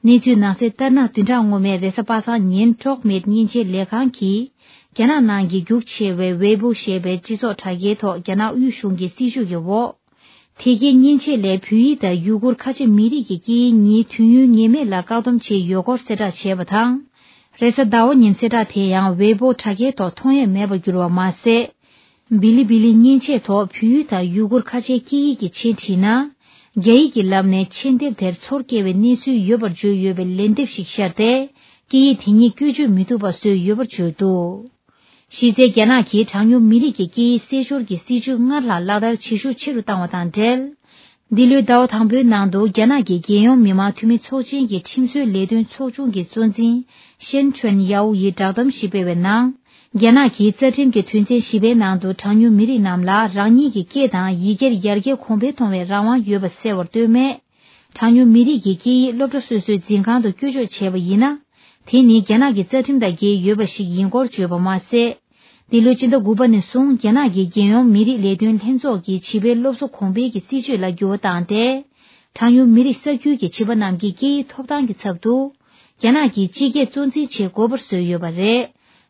གནས་ཚུལ་ནང་གསལ་ལྟར་ན། བདུན་ཕྲག་སྔོན་མའི་རེས་གཟའ་པ་སངས་ཉིན་ཀྲོག་མེད་མཉེན་ཆས་ལས་ཁང་གིས། རྒྱ་ནག་ནང་གི་རྒྱུགས་ཆེ་བའི་ཝེ་པོ་ཞེས་པའི་སྤྱི་ཚོགས་དྲ་རྒྱའི་ཐོག་རྒྱ་ནག་དབུས་གཞུང་གི་སྲིད་བྱུས་ཀྱི་འོག་དེ་གའི་མཉེན་ཆས་ལས་བོད་ཡིག་དང་ཡུ་གུར་ཁ་ཆེ་མི་རིགས་ཀྱི་སྐད་ཡིག་གཉིས་དུས་ཡུན་ངེས་མེད་ལ་བཀག་སྡོམ་བྱས་ཡོད་སྐོར་གསལ་བསྒྲགས་བྱས་པ་དང་། རེས་གཟའ་ཟླ་བ་ཉིན་གསལ་བསྒྲགས་དེ་ཡང་ཝེ་པོ་དྲ་རྒྱའི་ཐོག་མཐོང་ཡས་མེད་པར་གྱུར་བ་མ་ཟད། བི་ལི་བི་ལི་མཉེན་ཆས་ཐོག་བོད་ཡིག་དང་ཡུ་གུར་ཁ་ཆེའི་སྐད་ཡིག་གི་མཆན་བྲིས་ན། རྒྱ་ཡིག་གི་ལམ་ནས་མཆན་འདེབས་དེར་ཚོར་སྐྱེ་བའི་གནས་ཚུལ་ཡོད་པར་བརྗོད་ཡོད་པའི་ལན་འདེབས་ཤིག་ཤར་ཏེ། སྐད་ཡིག་དེ་གཉིས་བཀོལ་སྤྱོད་མི་ཐུབ་པ་བཟོས་ཡོད་པར་བརྗོད་འདུག་གཞི་རྩའི་རྒྱ་ནག་གིས་གྲངས་ཉུང་མི་རིགས་ཀྱི་སྐད་ཡིག་བསྲེས་སྦྱོར་གྱི་སྲིད་བྱུས་སྔར་ལྷག་ལག་བསྟར་བྱེད་ཤུགས་ཆེ་རུ་བཏང་བ་དང་འབྲེལ། འདི་ལོའི་ཟླ་བ་དང་པོའི་ནང་དུ་རྒྱ་ནག་གི་རྒྱལ་ཡོངས་མི་དམངས་འཐུས་མི་ཚོགས་ཆེན་གྱི་ཁྲིམས་བཟོའི་ལས་དོན་ཚོགས་ཆུང་གི་གཙོ་འཛིན་ཤན་ཁྲོན་ཡའོ་ཡིས་བསྒྲགས་གཏམ་ཞིག་སྤེལ་བའི་ནང་། རྒྱ་ནག་གིས་རྩ་ཁྲིམས་ཀྱི་དོན་ཚན་བཞི་པའི་ནང་དུ་གྲངས་ཉུང་མི་རིགས་རྣམས་ལ་རང་ཉིད་ཀྱི་སྐད་དང་ཡི་གེར་ཡར་རྒྱས་གོང་འཕེལ་གཏོང་བའི་རང་དབང་ཡོད་པ་གསལ་བར་སྟོན་མེད། གྲངས་ཉུང་མི་རིགས་ཀྱི་སྐད་ཡིག་སློབ་གྲྭ་སོ་སོའི་འཛིན་ཁང་དུ་བསྐྱོད་སྤྱོད་བྱས་པ་ཡིན་ན། དེ་ནི་རྒྱ་ནག་གི་རྩ་ཁྲིམས་དང་འགལ་ཡོད་པ་ཞིག་ཡིན་སྐོར་བརྗོད་པ་མ་ཟད། འདི་ལོའི་སྤྱི་ཟླ་དགུ་པ་ནས་བཟུང་རྒྱ་ནག་གི་རྒྱལ་ཡོངས་མི་རིགས་ལས་དོན་ལྷན་ཚོགས་ཀྱི་བྱིས་པའི་སློབ་གསོ་གོང་འཕེལ་གྱི་སྲིད་བྱུས་ལ་འགྱུར་བ་བཏང་སྟེ། གྲངས་ཉུང་མི་རིགས་ས་ཁུལ་གྱི་བྱིས་པ་རྣམས་ཀྱི་སྐད་ཡིག་ཐོབ་ཐང་གི་ཚབ་ཏུ། རྒྱ་ནག་གིས་སྤྱི་སྐད་གཙོ་འཛིན་བྱེད་དགོས་པར་བཟོས་ཡོད་པ་རེད།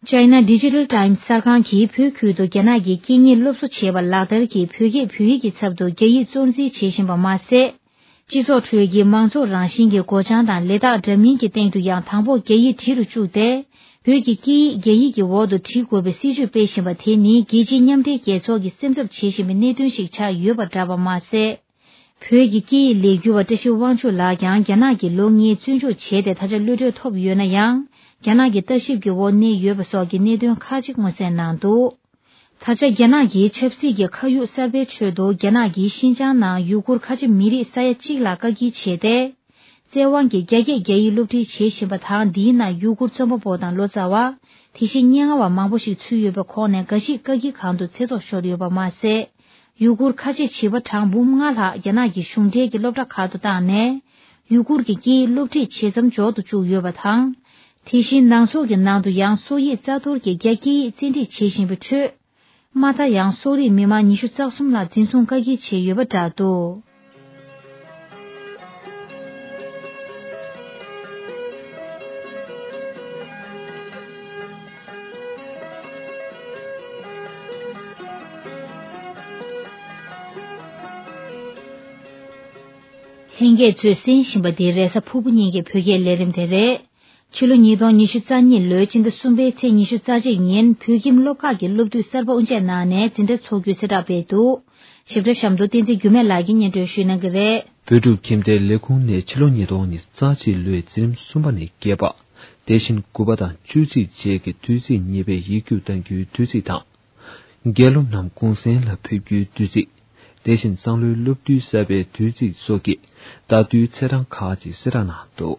China Digital Times གསར་ཁང་གིས་བོད་ཁུལ་དུ་རྒྱ་ནག་གིས་སྐད་གཉིས་སློབ་གསོ་བྱེད་པ་ལག་བསྟར་གྱིས་བོད་སྐད་བོད་ཡིག་གི་ཚབ་ཏུ་རྒྱ་ཡིག་གཙོར་འཛིན་བྱེད་བཞིན་པ་མ་ཟད། སྤྱི་ཚོགས་ཁྲོད་ཀྱི་མང་ཚོགས་རང་བཞིན་གྱི་སྒོ་བྱང་དང་ལས་རྟགས་འདྲ་མིན་གྱི་སྟེང་དུ་ཡང་དང་པོ་རྒྱ་ཡིག་བྲིས་རུ་བཅུག་སྟེ། བོད་ཀྱི་སྐད་ཡིག་རྒྱ་ཡིག་གི་འོག་ཏུ་བྲིས་དགོས་པའི་སྲིད་བྱུས་སྤེལ་བཞིན་པ་དེ་ནི་རྒྱལ་སྤྱིའི་མཉམ་འབྲེལ་རྒྱལ་ཚོགས་ཀྱིས་སེམས་འཚབ་བྱེད་བཞིན་པའི་གནད་དོན་ཞིག་ཆགས་ཡོད་པ་འདྲ་བ་མ་ཟད། བོད་ཀྱི་སྐད་ཡིག་ལས་འགུལ་བ་བཀྲ་ཤིས་དབང་ཕྱུག་ལགས་ཀྱང་རྒྱ་ནག་གིས་ལོ་ལྔའི་བཙོན་འཇུག་བྱས་ཏེ་ད་ཆ་གློད་གྲོལ་ཐོབ་ཡོད་ན་ཡང་། རྒྱ་ནག་གི་ལྟ་ཞིབ་ཀྱི་འོག་གནས་ཡོད་པ་སོགས་ཀྱི་གནད་དོན་ཁག་ཅིག་མངོན་གསལ་གནང་འདུག་ད་ཆ་རྒྱ་ནག་གིས་ཆབ་སྲིད་ཀྱི་ཁ་ཡོད་གསར་པའི་ཁྲོད་དུ་རྒྱ་ནག་གིས་ཤིན་ཅང་ནང་ཡུ་གུར་ཁ་ཆེ་མི་རིགས་ས་ཡ་གཅིག་ལ་བཀའ་འགུལ་བྱས་ཏེ། བཙན་དབང་གིས་རྒྱ་སྐད་རྒྱ་ཡིག་སློབ་ཁྲིད་བྱེད་བཞིན་པ་དང་། འདིའི་ནང་ཡུ་གུར་རྩོམ་པ་པོ་དང་ལོ་ཙཱ་བ། དེ་བཞིན་སྙན་ངག་པ་མང་པོ་ཞིག་ཚུད་ཡོད་པའི་ཁོངས་ནས་འགའ་ཞིག་བཀའ་འགུལ་ཁང་དུ་ཚེ་སྲོག་ཤོར་ཡོད་པ་མ་ཟད། ཡུ་གུར་ཁ་ཆེ་བྱིས་པ་གྲངས་འབུམ་ལྔ་ལྷག་རྒྱ་ནག་གི་གཞུང་འབྲེལ་གྱི་སློབ་གྲྭ་ཁག་ཏུ་བཏང་ནས། ཡུ་གུར་གྱི་སྐད་ཡིག་སློབ་ཁྲིད་བྱེད་མཚམས་འཇོག་ཏུ་བཅུག་ཡོད་པ་དང་། དེ་བཞིན་ནང་སོག་གི་ནང་དུ་ཡང་སོག་ཡིག་རྩ་གཏོར་གྱི་རྒྱ་སྐད་ཡིག་བཙན་ཁྲིད་བྱེད་བཞིན་པའི་ཁྲོད། མ་མཐའ་ཡང་སོག་རིགས་མི་མང་ཉི་ཤུ་རྩ་གསུམ་ལ་འཛིན་བཟུང་བཀའ་འགུལ་བྱས་ཡོད་པ་འདྲ་འདུག་ལྷན་རྒྱས་ཚོས་གསན་བཞིན་པ་འདི་རེས་གཟའ་ཕུར་བུ་ཉིན་གྱི་བོད་སྐད་ལས་རིམ་དེ་རེད། ཕྱི་ལོ་ཉིས་སྟོང་ཉི་ཤུ་རྩ་གཉིས་ལོའི་སྤྱི་ཟླ་གསུམ་པའི་ཚེས་ཉི་ཤུ་རྩ་གཅིག་ཉིན་བོད་ཁྱིམ་སློབ་ཁག་གི་སློབ་དུས་གསར་པ་དབུ་འབྱེད་གནང་ནས་འཛིན་གྲྭ་འཚོགས་རྒྱུའི་གསལ་བསྒྲགས་སྤེལ་འདུག་ཞིབ་ཕྲ་གཤམ་དུ་བསྟན་འཛིན་འགྱུར་མེད་ལགས་ཀྱིས་སྙན་སྒྲོན་ཞུ་གནང་གི་རེད། བོད་ཕྲུག་ཁྱིམ་སྡེའི་ལས་ཁུངས་ནས་ཕྱི་ལོ་ཉིས་སྟོང་ཉི་ཤུ་རྩ་གཅིག་ལོའི་འཛིན་རིམ་གསུམ་པ་ནས་བརྒྱད་པ། དེ་བཞིན་དགུ་པ་དང་བཅུ་གཅིག་བཅས་ཀྱི་དུས་ཚིགས་གཉིས་པའི་ཡིག་རྒྱུགས་གཏང་རྒྱུའི་དུས་ཚིགས་དང་། དགེ་སློབ་རྣམས་གུང་སེང་ལ་ཕེབས་རྒྱུའི་དུས་ཚིགས། དེ་བཞིན་སང་ལོའི་སློབ་དུས་གསར་པའི་དུས་ཚིགས་སོགས་ཀྱི་ཟླ་བསྡུའི་ཚེས་གྲངས་ཁག་ཅིག་གསལ་བསྒྲགས་གནང་འདུག་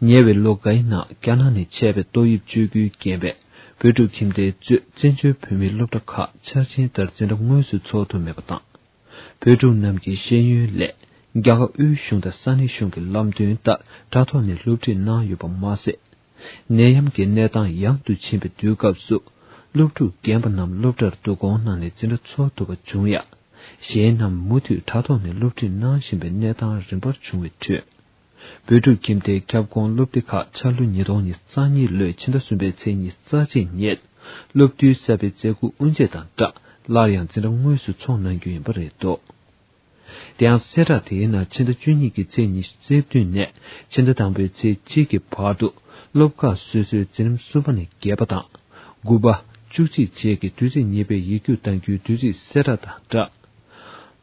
ཉེ་བའི་ལོ་འགའི་ནང་རྒྱ་ནག་ནས་ཆད་པའི་ཏོག་དབྱིབས་བཅོས་ཁུལ་རྐྱེན་པས་བོད་ཕྲུག་ཁྱིམ་སྡེ་གཙོས་བཙན་བྱོལ་བོད་མིའི་སློབ་གྲྭ་ཁག་འཆར་ཅན་ལྟར་འཛིན་གྲྭ་དངོས་སུ་འཚོགས་ཐུབ་མེད་པ་དང་། བོད་ཕྲུག་རྣམས་ཀྱི་ཤེས་ཡོན་སླད་རྒྱ་གར་དབུས་གཞུང་དང་ས་གནས་གཞུང་གི་ལམ་སྟོན་ལྟར་དྲ་ཐོག་ནས་སློབ་ཁྲིད་གནང་ཡོད་པ་མ་ཟད། ནད་ཡམས་ཀྱི་གནས་སྟངས་ཡང་དུ་ཕྱིན་པའི་དུས་སྐབས་སུ། སློབ་ཕྲུག་རྒན་པ་རྣམས་སློབ་གྲྭར་བསྡུ་སྐོང་གནང་ནས་འཛིན་གྲྭ་འཚོགས་ཐུབ་པ་བྱུང་ཡང་། གཞན་རྣམས་མུ་མཐུད་དྲ་ཐོག་ནས་སློབ་ཁྲིད་གནང་བཞིན་པའི་གནས་སྟངས་རིམ་པར་བྱུང་བའི་ཁྲོད། བོད་ཕྲུག་ཁྱིམ་སྡེའི་ཁྱབ་ཁོངས་སློབ་སྡེ་ཁག་འཆར་ལོ་ཉིས་སྟོང་ཉི་ཤུ་རྩ་གཉིས་ལོའི་ཕྱི་ཟླ་གསུམ་པའི་ཚེས་ཉི་ཤུ་རྩ་གཅིག་ཉིན། སློབ་དུས་གསར་པའི་མཛད་ཁུར་དབུ་འབྱེད་དང་སྦྲགས་སླར་ཡང་འཛིན་གྲྭ་དངོས་སུ་འཚོགས་གནང་རྒྱུ་ཡིན་པ་རེད་འདུག་དེ་ཡང་གསལ་བསྒྲགས་དེའི་ནང་ཕྱི་ཟླ་བཅུ་གཉིས་ཀྱི་ཚེས་ཉི་ཤུ་རྩ་བདུན་ནས་ཕྱི་ཟླ་དང་པོའི་ཚེས་གཅིག་གི་བར་དུ་སློབ་ཁག་སོ་སོའི་འཛིན་རིམ་གསུམ་པ་ནས་བརྒྱད་པ་དང་། དགུ་པ། བཅུ་གཅིག་བཅས་ཀྱི་དུས་ཚིགས་གཉིས་པའི་ཡིག་རྒྱུགས་གཏང་རྒྱུའི་དུས་ཚིགས་གསལ་བསྒྲགས་དང་སྦྲགས།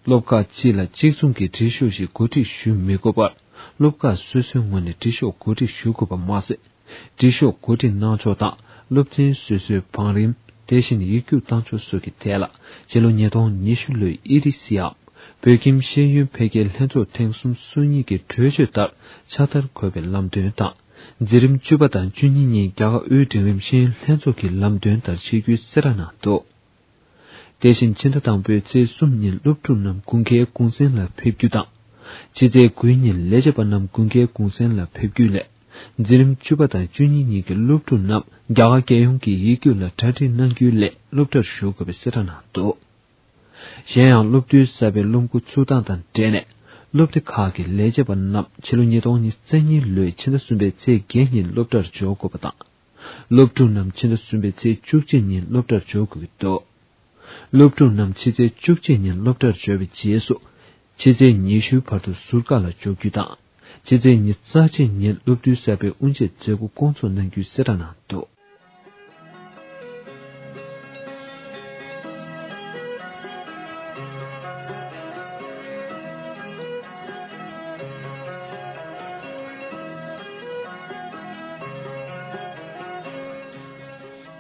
སློབ་ཁག་སྤྱི་ལ་གཅིག་མཚུངས་ཀྱི་དྲི་ཤོག་ཞིག་གོ་སྒྲིག་ཞུ་མི་དགོས་པར། སློབ་ཁག་སོ་སོའི་ངོས་ནས་དྲི་ཤོག་གོ་སྒྲིག་ཞུ་དགོས་པ་མ་ཟད། དྲི་ཤོག་གོ་སྒྲིག་གནང་ཕྱོགས་དང་སློབ་ཚན་སོ་སོའི་བང་རིམ། དེ་བཞིན་ཡིག་རྒྱུགས་གཏང་ཕྱོགས་སོགས་ཀྱི་ཐད་ལ་ཕྱི་ལོ་ཉིས་སྟོང་ཉི་ཤུ་ལོའི་ཨི་ཌི་སི་འམ་བོད་ཁྱིམ་ཤེས་ཡོན་འཕེལ་རྒྱས་ལྷན་ཚོགས་ཐེངས་གསུམ་སོ་གཉིས་ཀྱི་གྲོས་ཆོད་ལྟར་ཕྱག་བསྟར་དགོས་པའི་ལམ་སྟོན་དང་། འཛིན་རིམ་བཅུ་པ་དང་བཅུ་གཉིས་གཉིས་རྒྱ་གར་དབུས་འབྲིང་རིམ་ཤེས་ཡོན་ལྷན་ཚོགས་ཀྱི་ལམ་སྟོན་ལྟར་བྱེད་རྒྱུའི་གསལ་བསྒྲགས་གནང་འདུག་དེ་བཞིན་ཕྱི་ཟླ་དང་པོའི་ཚེས་གསུམ་ཉིན་སློབ་ཕྲུག་རྣམས་དགུན་ཁའི་གུང་སེང་ལ་ཕེབས་རྒྱུ་དང་། ཕྱི་ཚེས་དགུའི་ཉིན་ལས་བྱེད་པ་རྣམས་དགུན་ཁའི་གུང་སེང་ལ་ཕེབས་རྒྱུ་ལས། འཛིན་རིམ་བཅུ་པ་དང་བཅུ་གཉིས་གཉིས་ཀྱི་སློབ་ཕྲུག་རྣམས་རྒྱ་གར་རྒྱལ་ཡོངས་ཀྱི་ཡིག་རྒྱུགས་ལ་གྲ་སྒྲིག་གནང་རྒྱུའི་སླད་སློབ་གྲྭར་ཞུགས་དགོས་པའི་གསལ་བསྒྲགས་གནང་འདུག་གཞན་ཡང་སློབ་བསྡུའི་གསར་པའི་སློབ་འགོ་ཚུགས་སྟངས་དང་འབྲེལ་ནས། སློབ་སྡེ་ཁག་གི་ལས་བྱེད་པ་རྣམས་ཕྱི་ལོ་ཉིས་སྟོང་ཉི་ཤུ་རྩ་གཉིས་ལོའི་ཕྱི་ཟླ་གསུམ་པའི་ཚེས་བརྒྱད་ཉིན་སློབ་གྲྭར་འབྱོར་དགོས་པ་དང་། སློབ་ཕྲུག་རྣམས་ཕྱི་ཟླ་གསུམ་པའི་ཚེས་བཅུ་གཅིག་ཉིན་སློབ་གྲྭར་འབྱོར་དགོས་ཀྱི་འདུག་སློབ་ཕྲུག་རྣམས་ཕྱི་ཚེས་བཅུ་གཅིག་ཉིན་སློབ་གྲྭར་འབྱོར་བའི་རྗེས་སུ། ཕྱི་ཚེས་ཉི་ཤུའི་བར་དུ་ཟུར་བཀག་ལ་འཇོག་རྒྱུ་དང་། ཕྱི་ཚེས་ཉི་ཤུ་རྩ་གཅིག་ཉིན་སློབ་བསྡུའི་གསར་པའི་དབུ་འབྱེད་མཛད་སྒོ་སྐོང་ཚོགས་གནང་རྒྱུའི་གསལ་བསྒྲགས་གནང་འདུག་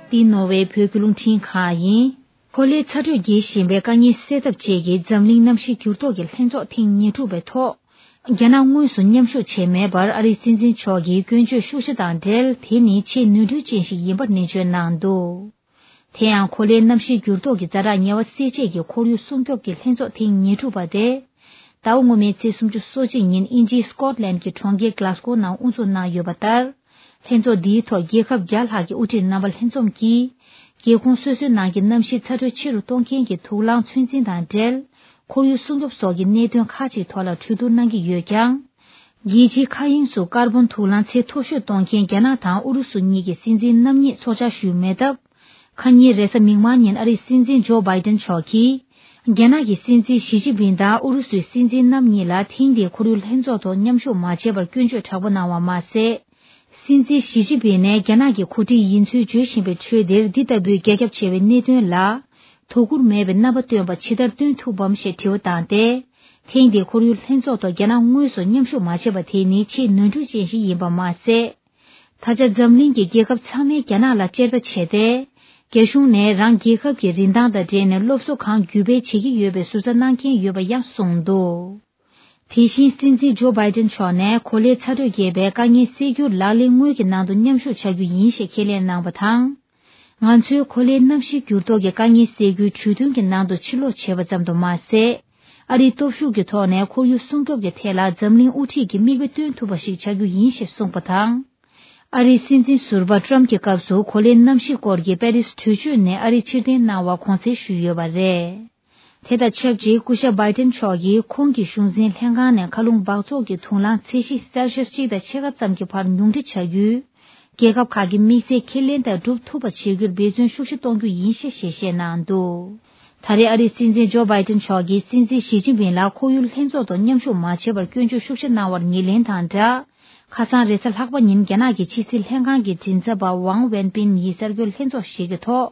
འདི་ནོར་ཝེ་བོད་ཀྱི་རླུང་འཕྲིན་ཁང་ཡིན། གོ་ལའི་ཚ་དྲོད་རྒྱས་བཞིན་པའི་དཀའ་ངལ་སེལ་ཐབས་བཅས་ཀྱི་འཛམ་གླིང་གནམ་གཤིས་འགྱུར་ལྡོག་གི་ལྷན་ཚོགས་ཐེངས་ཉེར་དྲུག་པའི་ཐོག་རྒྱ་ནག་དངོས་སུ་མཉམ་ཞུགས་བྱས་མེད་པར་ཨ་རིའི་སྲིད་འཛིན་མཆོག་གིས་སྐྱོན་བརྗོད་ཤུགས་ཆེ་དང་འབྲེལ། དེ་ནི་ཆེས་ནོར་འཁྲུལ་ཅན་ཞིག་ཡིན་པར་ནན་བརྗོད་གནང་འདུག་དེ་ཡང་གོ་ལའི་གནམ་གཤིས་འགྱུར་ལྡོག་གི་ཛ་དྲག་ངལ་བ་སེལ་ཆེད་ཀྱི་ཁོར་ཡུག་སྲུང་སྐྱོབ་ཀྱི་ལྷན་ཚོགས་ཐེངས་ཉེར་དྲུག་པ་དེ། ཟླ་བ་སྔོན་མའི་ཚེས་སུམ་ཅུ་སོ་གཅིག་ཉིན་དབྱིན་ཇིའི་སྐོཊ་ལན་གྱི་གྲོང་ཁྱེར་གྷ་ལ་སྒོ་ནང་དབུ་འཛུགས་གནང་ཡོད་པ་ལྟར། ལྷན་ཚོགས་འདིའི་ཐོག་རྒྱལ་ཁབ་བརྒྱ་ལྷག་གི་དབུ་ཁྲིད་རྣམ་པ་ལྷན་འཛོམས་ཀྱིས། རྒྱལ་ཁོངས་སོ་སོའི་ནང་གི་གནམ་གཤིས་ཚ་དྲོད་ཆེ་རུ་གཏོང་མཁན་གྱི་དུག་རླངས་ཚོད་འཛིན་དང་འབྲེལ། ཁོར་ཡུག་སྲུང་སྐྱོབ་སོགས་ཀྱི་གནད་དོན་ཁག་ཅིག་ཐོག་ལ་གྲོས་བསྡུར་གནང་གི་ཡོད་ཀྱང་། རྒྱལ་སྤྱིའི་མཁའ་དབྱིངས་སུ་ཀར་བོན་དུག་རླངས་ཚད་མཐོ་ཤོས་གཏོང་མཁན་རྒྱ་ནག་དང་ཨུ་རུ་སུ་གཉིས་ཀྱི་སྲིད་འཛིན་རྣམ་གཉིས་ཚོགས་བཅར་ཞུས་མེད་སྟབས། ཁ་ཉིན་རེས་གཟའ་མིག་དམར་ཉིན་ཨ་རིའི་སྲིད་འཛིན་ཇོ་བྷའི་ཏན་མཆོག་གིས། རྒྱ་ནག་གི་སྲིད་འཛིན་ཞི་ཅིན་ཕིང་དང་ཨུ་རུ་སུའི་སྲིད་འཛིན་རྣམ་གཉིས་ལ་ཐེངས་འདིའི་ཁོར་ཡུག་ལྷན་ཚོགས་ཐོག་མཉམ་ཞུགས་མ་བྱས་པར་སྐྱོན་བརྗོད་དྲག་པོ་གནང་བ་མ་ཟད། སྲིད་འཛིན་ཞི་ཅིན་ཕིང་ནས་རྒྱ་ནག་གི་འགོ་ཁྲིད་ཡིན་ཚུལ་བརྗོད་བཞིན་པའི་ཁྲོད་འདིར་འདི་ལྟ་བུའི་རྒྱ་ཁྱབ་ཆེ་བའི་གནད་དོན་ལ། དོ་ཁུར་མེད་པའི་རྣམ་པ་སྟོན་པ་ཇི་ལྟར་སྟོན་ཐུབ་བམ་ཞེས་དྲི་བ་བཏང་སྟེ། ཐེངས་འདིའི་ཁོར་ཡུག་ལྷན་ཚོགས་ཐོག་རྒྱ་ནག་དངོས་སུ་མཉམ་ཞུགས་མ་བྱས་པ་དེ་ནི་ཆེས་ནོར་འཁྲུལ་ཅན་ཞིག་ཡིན་པ་མ་ཟད། ད་ཆ་འཛམ་གླིང་གི་རྒྱལ་ཁབ་ཚང་མས་རྒྱ་ནག་ལ་བཅད་ལྟ་བྱས་ཏེ། རྒྱ་གཞུང་ནས་རང་རྒྱལ་ཁབ་ཀྱི་རིན་ཐང་དང་འབྲེལ་ནས་སློབ་གསོ་གང་བརྒྱུད་སྤེལ་བྱེད་ཀྱི་ཡོད་པའི་ཟུར་ཟ་གནང་མཁན་ཡོད་པ་ཡང་གསུངས་འདུག་དེ་བཞིན་སྲིད་འཛིན་ཇོ་བྷའི་ཏན་མཆོག་ནས་གོ་ལའི་ཚ་དྲོད་རྒྱས་པའི་དཀའ་ངལ་སེལ་རྒྱུར་ལག་ལེན་དངོས་ཀྱི་ནང་དུ་མཉམ་ཞུགས་བྱ་རྒྱུ་ཡིན་ཞེས་ཁས་ལེན་གནང་བ་དང་། ང་ཚོའི་གོ་ལའི་གནམ་གཤིས་འགྱུར་ལྡོག་གི་དཀའ་ངལ་སེལ་རྒྱུའི་གྲོས་མཐུན་གྱི་ནང་དུ་ཕྱིར་ལོག་བྱས་པ་ཙམ་དུ་མ་ཟད། ཨ་རིའི་སྟོབས་ཤུགས་ཀྱི་ཐོག་ནས་ཁོར་ཡུག་སྲུང་སྐྱོབ་ཀྱི་ཐད་ལ་འཛམ་གླིང་དབུ་ཁྲིད་ཀྱི་མིག་དཔེ་སྟོན་ཐུབ་པ་ཞིག་བྱ་རྒྱུ་ཡིན་ཞེས་གསུངས་པ་དང་། ཨ་རིའི་སྲིད་འཛིན་ཟུར་པ་ཏྲམ་གྱི་སྐབས་སུ་གོ་ལའི་གནམ་གཤིས་སྐོར་གྱི་པེ་རིས་གྲོས་ཆོད་ནས་ཨ་རི་ཕྱིར་འཐེན་གནང་བར་དགོངས་སེལ་ཞུས་ཡོད་པ་རེད། དེ་དང་ཆབས་ཅིག་སྐུ་ཞབས་བྷའི་ཏན་མཆོག་གིས་ཁོང་གི་གཞུང་འཛིན་ལྷན་ཁང་ནས་མཁའ་རླུང་འབག་བཙོག་གི་དུག་རླངས་ཚད་གཞི་སེལ་ཤེས་གཅིག་དང་ཕྱེད་ཀ་ཙམ་གྱི་བར་ཉུང་འཕྲི་བྱ་རྒྱུའི་རྒྱལ་ཁབ་ཁག་གི་དམིགས་ཚད་ཁས་ལེན་དང་སྒྲུབ་ཐུབ་པ་བྱེད་རྒྱུར་འབད་བརྩོན་ཤུགས་ཆེ་གཏོང་རྒྱུ་ཡིན་ཞེས་ཞལ་བཞེས་གནང་འདུག་ད་རེས་ཨ་རིའི་སྲིད་འཛིན་ཇོ་བྷའི་ཏན་མཆོག་གིས་སྲིད་འཛིན་ཞི་ཅིན་ཕིང་ལ་ཁོར་ཡུག་ལྷན་ཚོགས་ཐོག་མཉམ་ཞུགས་མ་བྱས་པར་སྐྱོན་བརྗོད་ཤུགས་ཆེ་གནང་བར་ངོས་ལེན་དང་སྦྲགས། ཁ་སང་རེས་གཟའ་ལྷག་པ་ཉིན་རྒྱ་ནག་གི་ཕྱི་སྲིད་ལྷན་ཁང་གི་མགྲིན་ཚབ་པ་ཝང་ཝེན་པིན་ཡིས་གསར་འགོད་ལྷན་ཚོགས་ཤིག་གི་ཐོག་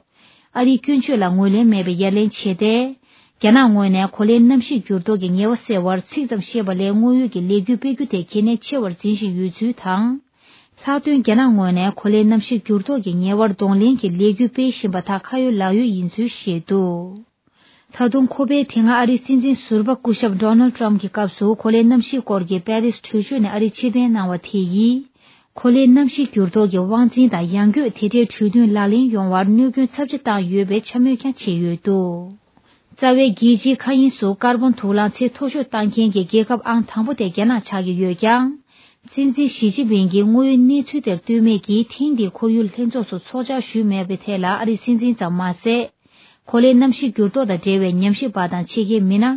ཨ་རིའི་སྐྱོན་བརྗོད་ལ་ངོས་ལེན་མེད་པའི་ཡ་ལན་བྱས་ཏེ། རྒྱ་ནག་ངོས་ནས་གོ་ལའི་གནམ་གཤིས་འགྱུར་ལྡོག་གི་ངལ་བ་སེལ་བར་ཚིག་ཙམ་བཤད་པ་ལས་དངོས་ཡོད་ཀྱི་ལས་འགུལ་སྤེལ་རྒྱུ་དེ་གལ་གནད་ཆེ་བར་འཛིན་བཞིན་ཡོད་ཚུལ་དང་། ལྷག་དོན་རྒྱ་ནག་ངོས་ནས་གོ་ལའི་གནམ་གཤིས་འགྱུར་ལྡོག་གི་ངལ་བར་གདོང་ལེན་གྱི་ལས་འགུལ་སྤེལ་བཞིན་པ་དག་ཁ་ཡོད་ལག་ཡོད་ཡིན་ཚུལ་བཤད་འདུག་ད་དུང་ཁོ་པས་དེ་སྔ་ཨ་རིའི་སྲིད་འཛིན་ཟུར་པ་སྐུ་ཞབས་ཌོ་ནལ་ཏྲམ་གྱི་སྐབས་སུ་གོ་ལའི་གནམ་གཤིས་སྐོར་གྱི་པེ་རིས་གྲོས་ཆོད་ནས་ཨ་རི་ཕྱིར་འཐེན་གནང་བ་དེ་ཡིས། གོ་ལའི་གནམ་གཤིས་འགྱུར་ལྡོག་གི་དབང་འཛིན་དང་ཡང་སྒོས་དེ་འབྲེལ་གྲོས་མཐུན་ལག་ལེན་ཡོང་བར་གནོད་སྐྱོན་ཚབས་ཆེ་བཏང་ཡོད་པའི་འཕྱ་སྨོད་ཀྱང་བྱས་ཡོད་འདུག་རྩ་བའི་རྒྱལ་སྤྱིའི་མཁའ་དབྱིངས་སུ་ཀར་བོན་དུག་རླངས་ཚད་མཐོ་ཤོས་བཏང་མཁན་གྱི་རྒྱལ་ཁབ་ཨང་དང་པོ་དེ་རྒྱ་ནག་ཆགས་ཀྱི་ཡོད་ཀྱང་། སྲིད་འཛིན་ཞི་ཅིན་ཕིང་གིས་དངོས་ཡོད་གནས་ཚུལ་དེར་ལྟོས་མེད་ཀྱིས་ཐེངས་འདིའི་ཁོར་ཡུག་ལྷན་ཚོགས་སུ་ཚོགས་བཅར་ཞུས་མེད་པའི་ཐད་ལ་ཨ་རིའི་སྲིད་འཛིན་ཙམ་མ་ཟད། གོ་ལའི་གནམ་གཤིས་འགྱུར་ལྡོག་དང་འབྲེལ་བའི་ཉམས་ཞིབ་པ་དང་ཕྱི་རྒྱལ་མི་སྣ།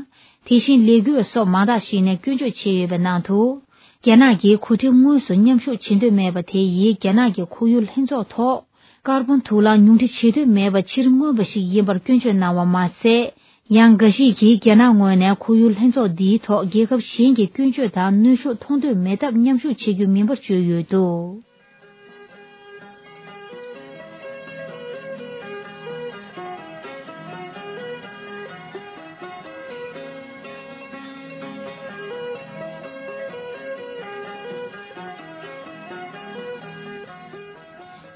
དེ་བཞིན་ལས་འགུལ་བ་སོགས་མང་དག་ཞིག་ནས་སྐྱོན་བརྗོད་བྱས་ཡོད་པའི་ནང་དུ། རྒྱ་ནག་གིས་གོ་སྒྲིག་དངོས་སུ་མཉམ་ཞུགས་བྱེད་འདོད་མེད་པ་དེ་ཡིས་རྒྱ་ནག་གི་ཁོར་ཡུག་ལྷན་ཚོགས་ཐོག་ཀར་བོན་དུག་རླངས་ཉུང་འཕྲི་བྱེད་འདོད་མེད་པ་ཕྱིར་མངོན་པ་ཞིག་ཡིན་པར་སྐྱོན་བརྗོད་གནང་བ་མ་ཟད། ཡང་འགའ་ཞིག་གིས་རྒྱ་ནག་ངོས་ནས་ཁོར་ཡུག་ལྷན་ཚོགས་འདིའི་ཐོག་རྒྱལ་ཁབ་གཞན་གྱི་སྐྱོན་བརྗོད་དང་གནོན་ཤུགས་མཐོང་འདོད་མེད་སྟབས་མཉམ་ཞུགས་བྱེད་རྒྱུ་མིན་པར་བརྗོད་ཡོད་འདུག་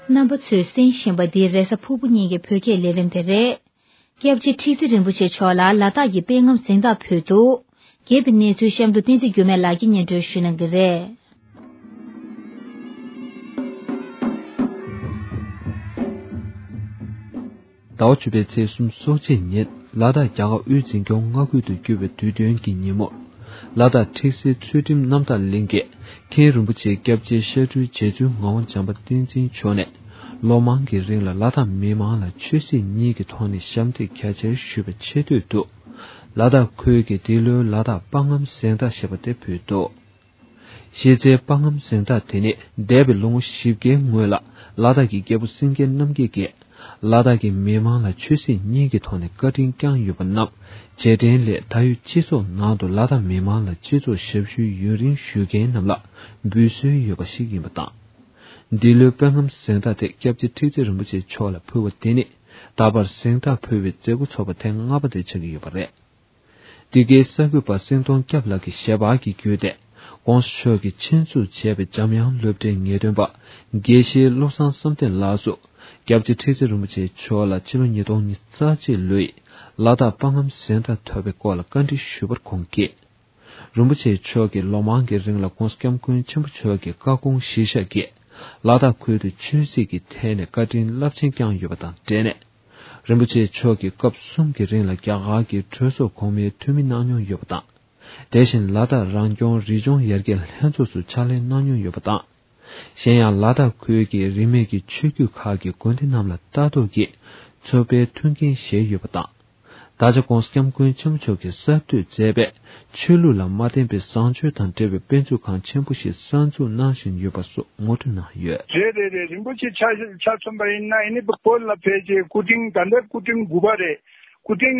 རྣམ་པ་ཚོས་གསན་བཞིན་པ་འདི་རེས་གཟའ་ཕུར་བུ་ཉིན་གྱི་བོད་སྐད་ལས་རིམ་དེ་རེད། སྐྱབས་རྗེ་ཁྲི་ཚེ་རིན་པོ་ཆེ་མཆོག་ལ་ལ་དྭགས་ཀྱི་དཔེ་རྔམ་གཟེངས་རྟགས་ཕུལ་འདུག་རྒྱས་པའི་གནས་ཚུལ་གཤམ་དུ་བསྟན་འཛིན་འགྱུར་མེད་ལགས་ཀྱིས་སྙན་སྒྲོན་ཞུ་གནང་གི་རེད། ཟླ་བ་བཅུ་པའི་ཚེས་གསུམ་སོག་གཅིག་ཉིན། ལ་དྭགས་རྒྱ་གར་དབུས་འཛིན་སྐྱོང་མངའ་ཁུལ་དུ་གྱུར་པའི་དུས་སྟོན་གྱི་ཉིན་མོར། ལ་དྭགས་ཁྲི་སིལ་ཚུལ་ཁྲིམས་རྣམ་དག་གླིང་གི་མཁན་རིན་པོ་ཆེ་སྐྱབས་རྗེ་ཤཱཀྱའི་རྗེ་བཙུན་ངག་དབང་བྱམས་པ་བསྟན་འཛིན་མཆོག་ནས། ལོ་མང་གི་རིང་ལ་ལ་དྭགས་མི་མང་ལ་ཆོས་སྲིད་གཉིས་ཀྱི་ཐོག་ནས་ཞབས་འདེགས་རྒྱ་ཆེར་ཞུས་པའི་ཆེ་བསྟོད་དུ། ལ་དྭགས་ཁུལ་གྱིས་འདི་ལོའི་ལ་དྭགས་དཔའ་རྔམ་གཟེངས་རྟགས་ཞེས་པ་དེ་ཕུལ་འདུག་གཞི་རྩའི་དཔའ་རྔམ་གཟེངས་རྟགས་དེ་ནི་འདས་པའི་ལོ་ངོ་བཞི་བརྒྱའི་སྔོན་ལ་ལ་དྭགས་ཀྱི་རྒྱལ་པོ་སེང་གེ་རྣམ་རྒྱལ་གྱིས་ལ་དྭགས་ཀྱི་མི་མང་ལ་ཆོས་སྲིད་གཉིས་ཀྱི་ཐོག་ནས་བཀའ་དྲིན་བསྐྱངས་ཡོད་པ་རྣམས་རྗེས་དྲན་སླད་ད་ཡོད་སྤྱི་ཚོགས་ནང་དུ་ལ་དྭགས་མི་མང་ལ་སྤྱི་ཚོགས་ཞབས་ཞུའི་ཡུན་རིང་ཞུ་མཁན་རྣམས་ལ་འབུལ་སྲོལ་ཡོད་པ་ཞིག་ཡིན་པ་དང་། འདི་ལོའི་དཔའ་རྔམ་གཟེངས་རྟགས་དེ་སྐྱབས་རྗེ་ཁྲི་བརྩེ་རིན་པོ་ཆེ་མཆོག་ལ་ཕུལ་བ་དེ་ནི་ད་བར་གཟེངས་རྟགས་ཕུལ་བའི་མཛད་སྒོ་ཚོགས་པ་ཐེངས་ལྔ་པ་དེ་ཆགས་ཀྱི་ཡོད་པ་རེད། འདི་གའི་གསར་འགོད་པ་སེང་གདོང་སྐྱབས་ལགས་ཀྱིས་ཞལ་པར་གྱི་བརྒྱུད་དེ། ྋགོང་ས་མཆོག་གིས་ཆེད་འཛུགས་བྱས་པའི་འཇམ་དབྱངས་སློབ་གྲྭའི་ངེས་སྟོན་པ། དགེ་བཤེས་བློ་བཟང་བསམ་གཏན་ལགས་སུ། སྐྱབས་རྗེ་ཁྲི་བརྩེ་རིན་པོ་ཆེ་མཆོག་ལ་ཕྱི་ལོ་ཉིས་སྟོང་ཉི་ཤུ་རྩ་གཅིག་ལོའི་ལ་དྭགས་དཔའ་རྔམ་གཟེངས་རྟགས་ཐོབ་པའི་སྐོར་ལ་བཀའ་འདྲི་ཞུས་པར་ཁོང་གིས། རིན་པོ་ཆེ་མཆོག་གིས་ལོ་མང་གི་རིང་ལ་ྋགོང་ས་ྋསྐྱབས་མགོན་ཆེན་པོ་མཆོག་གི་བཀའ་དགོངས་གཞིར་བཞག་གིས་ལ་དྭགས་ཁུལ་དུ་ཆོས་སྲིད་ཀྱི་ཐད་ནས་བཀའ་དྲིན་རླབས་ཆེན་བསྐྱངས་ཡོད་པ་དང་འབྲེལ་ནས། རིན་པོ་ཆེ་མཆོག་གིས་སྐབས་གསུམ་གྱི་རིང་ལ་རྒྱ་གར་གྱི་གྲོས་ཚོགས་གོང་མའི་འཐུས་མི་གནང་མྱོང་ཡོད་པ་དང་། དེ་བཞིན་ལ་དྭགས་རང་སྐྱོང་རི་ལྗོངས་ཡར་རྒྱས་ལྷན་ཚོགས་སུ་ཕྱག་ལས་གནང་མྱོང་ཡོད་པ་དང་། གཞན་ཡང་ལ་དྭགས་ཁུལ་གྱི་རིས་མེད་ཀྱི་ཆོས་བརྒྱུད་ཁག་གི་དགོན་སྡེ་རྣམས་ལ་ལྟ་རྟོག་གིས་ཚོགས་པའི་མཐུན་རྐྱེན་བཞེས་ཡོད་པ་དང་། ད་ཆ་ྋགོང་ས་ྋསྐྱབས་མགོན་ཆེན་པོ་མཆོག་གིས་གསར་གཏོད་མཛད་པའི་ཆོས་ལུགས་ལ་མ་བརྟེན་པའི་བཟང་སྤྱོད་དང་འབྲེལ་བའི་དཔེ་མཛོད་ཁང་ཆེན་པོ་ཞིག་གསར་འཛུགས་གནང་བཞིན་ཡོད་པ་སོགས་ངོ་སྤྲོད་གནང་ཡོད། རེད་རེད་རེད། རིན་པོ་ཆེ་ཆ་ཆ་མཚོན་པ་ཡིན་ན་ཨ་ནི་བོད་ལ་ཕེབས་རྗེས་སྐུ་ཕྲེང་ད་ལྟ་སྐུ་ཕྲེང་དགུ་པ་རེད། སྐུ་ཕྲེང་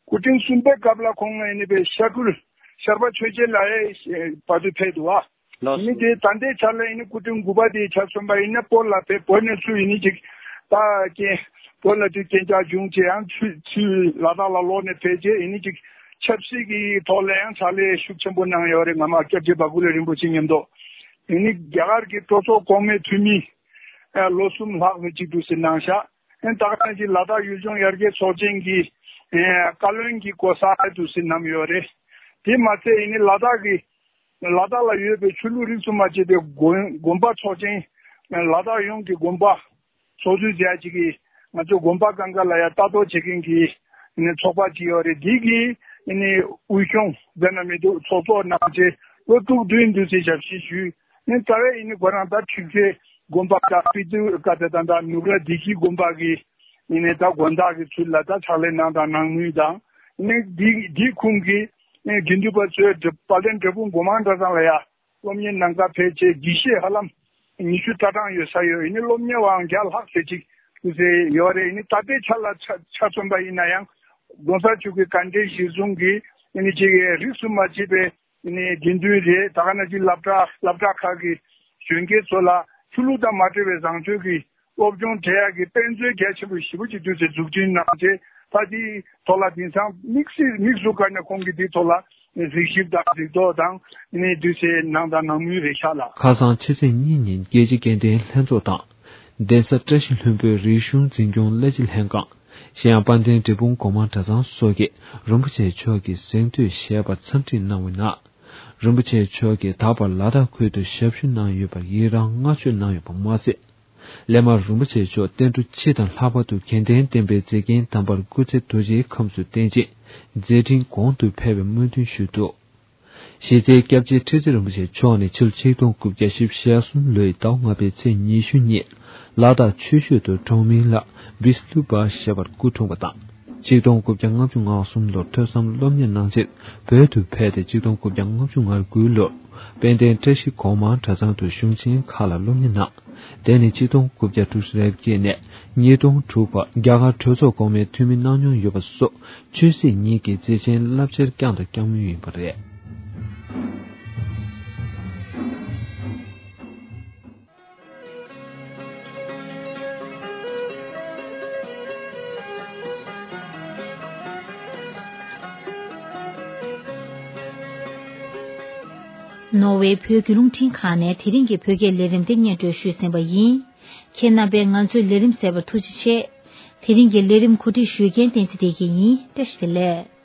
སྐུ་ཕྲེང་གསུམ་པའི་སྐབས་ལ་ཁོང་ཨ་ནི་བའི་ཤར་སྤྲུལ་ཤར་པ་ཆོས་རྒྱལ་ལགས་ཡང་བར་དུ་ཕེབས་འདུག་བ། ལགས་སོ། ཡིན་དེ་ད་ལྟའི་ཆ་ལ་ཡིན་ན་སྐུ་ཕྲེང་དགུ་པ་དེའི་ཆ་མཚོན་པ་ཡིན་ན་བོད་ལ་ཕེབས་བོད་ནས་ཚུར་ཡིན་ནི་ཅིག་ད་རྐྱེན་བོད་ལ་དུས་རྐྱེན་ཆག་བྱུང་རྗེས་ཡང་ཚུར་ཚུར་ལ་དྭགས་ལ་ལོག་ནས་ཕེབས་རྗེས་ཡིན་ནི་ཅིག་ཆབ་སྲིད་ཀྱི་ཐོག་ལ་ཡང་ཕྱག་ལས་ཤུགས་ཆེན་པོ་གནང་ཡོད་རེད། ང་མ་སྐྱབས་རྗེ་བ་ཀུ་ལེ་རིན་པོ་ཆེ་མཉམ་དུ་ཡིན་ནི་རྒྱ་གར་གྱི་གྲོས་ཚོགས་གོང་མའི་འཐུས་མི་ལོ་གསུམ་ལྷག་ཙམ་ཅིག་འདུག་སེ་གནང་ཤག་ཨེ་ད་ག་ནང་བཞིན་ལ་དྭགས་ཡུལ་ལྗོངས་ཡར་རྒྱས་ཚོགས་ཆེན་གྱི་ཨེ་བཀའ་བློན་གྱི་གོ་ས་འདུག་སེ་བསྣམས་ཡོད་རེད། དེ་མ་ཚད་ཡིན་ནི་ལ་དྭགས་ཀྱི་ལ་དྭགས་ལ་ཡོད་པའི་ཆོས་ལུགས་རིས་སུ་མ་ཆད་པའི་དགོན་དགོན་པ་ཚོགས་ཆེན། ལ་དྭགས་ཡོངས་ཀྱི་དགོན་པ་ཚོགས་འདུ་མཛད་ཅིག་གིས་ང་ཚོ་དགོན་པ་གང་ག་ལ་ཡང་ལྟ་རྟོག་བྱེད་མཁན་གྱི་ཚོགས་པ་ཅིག་ཡོད་རེད། འདི་གི་དབུས་སྐྱོང་བསྡད་ན་མི་འདུག་ཚོགས་གཙོ་གནང་རྗེས་ལོ་དྲུག་བདུན་འདུག་སེ་ཞབས་ཕྱི་ཞུས། རྩ་བའི་ཡིན་ནི་ཁོ་རང་ད་ཁྲིག་སེ་དགོན་པ་དང་སྤི་ཏི་ཀ་ད་ད་ད་ནུབ་ར་བདེ་སྐྱིད་དགོན་པ་གི་ཡིན་ནི་ད་དགོན་བདག་གི་ཚུལ་ལ་ད་ཕྱག་ལས་གནང་དང་གནང་མུས་དང་ཡིན་ནི་འདི་འདི་ཁུངས་ཀྱི་དགེ་འདུན་པ་ཚོའི་དཔལ་ལྡན་འབྲས་སྤུངས་སྒོ་མང་གྲྭ་ཚང་ལ་ཡ་སློབ་གཉེར་གནང་ག་ཕེབས་རྗེས་དགེ་བཤེས་ཧ་ལམ་ཉི་ཤུ་རྩ་གྲངས་ཡོད་ས་ཡོད། ཡིན་ནི་སློབ་གཉེར་བའང་བརྒྱ་ལྷག་ཙམ་ཅིག་འདུག་སེ་ཡོད་རེད། ཡིན་ནི་ད་ལྟའི་ཆ་ལ་ཆ་ཆ་མཚོན་པ་ཡིན་ན་ཡང་གོང་ས་མཆོག་གི་བཀའ་དྲིན་གཞིར་བཟུང་གིས་ཡིན་ནི་ཅིག་རིས་སུ་མ་ཆད་པའི་ནས་དགེ་འདུན་རེད། ད་ག་ནང་བཞིན་སློབ་གྲྭ་སློབ་གྲྭ་ཁག་གི་གཞོན་སྐྱེས་ཚོ་ལ་ཆོས་ལུགས་དང་མ་འབྲེལ་བའི་བཟང་སྤྱོད་ཀྱི་སློབ་སྦྱོང་སྤྲད་ཡག་གི་དཔེ་མཛོད་གལ་ཆེན་པོ་ཞེ་པོ་ཅིག་འདུག་སེ་འཛུགས་སྐྲུན་གནང་རྗེས་ད་དེའི་ཐོག་ལ་དེང་སང་དམིགས་བསལ་དམིགས་སུ་བཀར་ནས་ཁོང་གིས་དེའི་ཐོག་ལ་གཟིགས་ཞིབ་དང་གཟིགས་རྟོག་དང་ནས་འདུག་སེ་གནང་དང་གནང་མུས་རེད་ཤག་ལགས། ཁ་སང་ཕྱི་ཚེས་གཉིས་ཉིན་རྒྱལ་སྤྱིའི་དགེ་ལྡན་ལྷན་ཚོགས་དང་། གདན་ས་བཀྲ་ཤིས་ལྷུན་པོའི་རིག་གཞུང་འཛིན་སྐྱོང་ཀླད་སྤྱི་ལྷན་ཁང་། གཞན་ཡང་དཔལ་ལྡན་འབྲས་སྤུངས་སྒོ་མང་གྲྭ་ཚང་སོགས་ཀྱིས་རིན་པོ་ཆེ་མཆོག་གི་གཟེངས་བསྟོད་ཞེས་པ་འཚམས་འདྲི་གནང་བའི་ནང་། རིན་པོ་ཆེ་མཆོག་གིས་ད་བར་ལ་དྭགས་ཁུལ་དུ་ཞབས་ཞུ་གནང་ཡོད་པར་ཡི་རང་བསྔགས་བརྗོད་གནང་ཡོད་པ་མ་ཟད། སླད་མར་རིན་པོ་ཆེ་མཆོག་བསྟན་འགྲོ་སྤྱི་དང་ལྷག་པར་དུ་དགེ་ལྡན་བསྟན་པའི་མཛེས་རྒྱན་དམ་པར་སྐུ་ཚེ་རྡོ་རྗེའི་ཁམས་སུ་བརྟན་ཅིང་མཛད་འཕྲིན་གོང་དུ་འཕེལ་བའི་སྨོན་འདུན་ཞུས་འདུག་གཞི་རྩའི་སྐྱབས་རྗེ་ཁྲི་བརྩེ་རིན་པོ་ཆེ་མཆོག་ནི་ཕྱི་ལོ་ཆིག་སྟོང་དགུ་བརྒྱ་བཞི་བཅུ་ཞེ་གསུམ་ལོའི་ཟླ་བ་ལྔ་པའི་ཚེས་ཉི་ཤུ་ཉིན་ལ་དྭགས་ཆུ་ཤུར་དུ་གྲོང་མིང་ལ་བི་སྟུ་པ་ཞེས་པར་སྐུ་འཁྲུངས་པ་དང་། ཆིག་སྟོང་དགུ་བརྒྱ་ལྔ་བཅུ་ང་གསུམ་ལོར་ཐོས་བསམ་སློབ་གཉེར་གནང་ཕྱིར་བོད་དུ་ཕེབས་ཏེ་ཆིག་སྟོང་དགུ་བརྒྱ་ལྔ་བཅུ་ང་དགུ་ལོར་དཔལ་ལྡན་བཀྲ་ཤིས་སྒོ་མང་གྲྭ་ཚང་དུ་གཞུང་ཆེན་ཁག་ལ་སློབ་གཉེར་གནང་། དེ་ནི་ཆིག་སྟོང་དགུ་བརྒྱ་དྲུག་ཅུ་རེ་བརྒྱད་ནས་ཉིས་སྟོང་དྲུག་བར་རྒྱ་གར་གྲོས་ཚོགས་གོང་མའི་འཐུས་མི་གནང་མྱོང་ཡོད་པ་སོགས་ཆོས་སྲིད་གཉིས་ཀྱི་མཛད་ཆེན་རླབས་ཆེར་བསྐྱངས་དང་བསྐྱངས་མུས་ཡིན་པ་རེད། ནོར་ཝེ་བོད་བརྒྱུད་ལུང་འཕྲིན་ཁང་ནས་དེ་རིང་གི་བོད་སྐད་ལས་རིམ་འདི་སྙན་སྒྲོན་ཞུས་ཟིན་པ་ཡིན། ཁྱེད་རྣམ་པས་ང་ཚོའི་ལས་རིམ་གསན་པར་ཐུགས་རྗེ་ཆེ། དེ་རིང་གི་ལས་རིམ་གོ་སྒྲིག་ཞུ་མཁན་བསྟན་འཛིན་བདེ་སྐྱིད་ཡིན། བཀྲ་ཤིས་བདེ་ལེགས།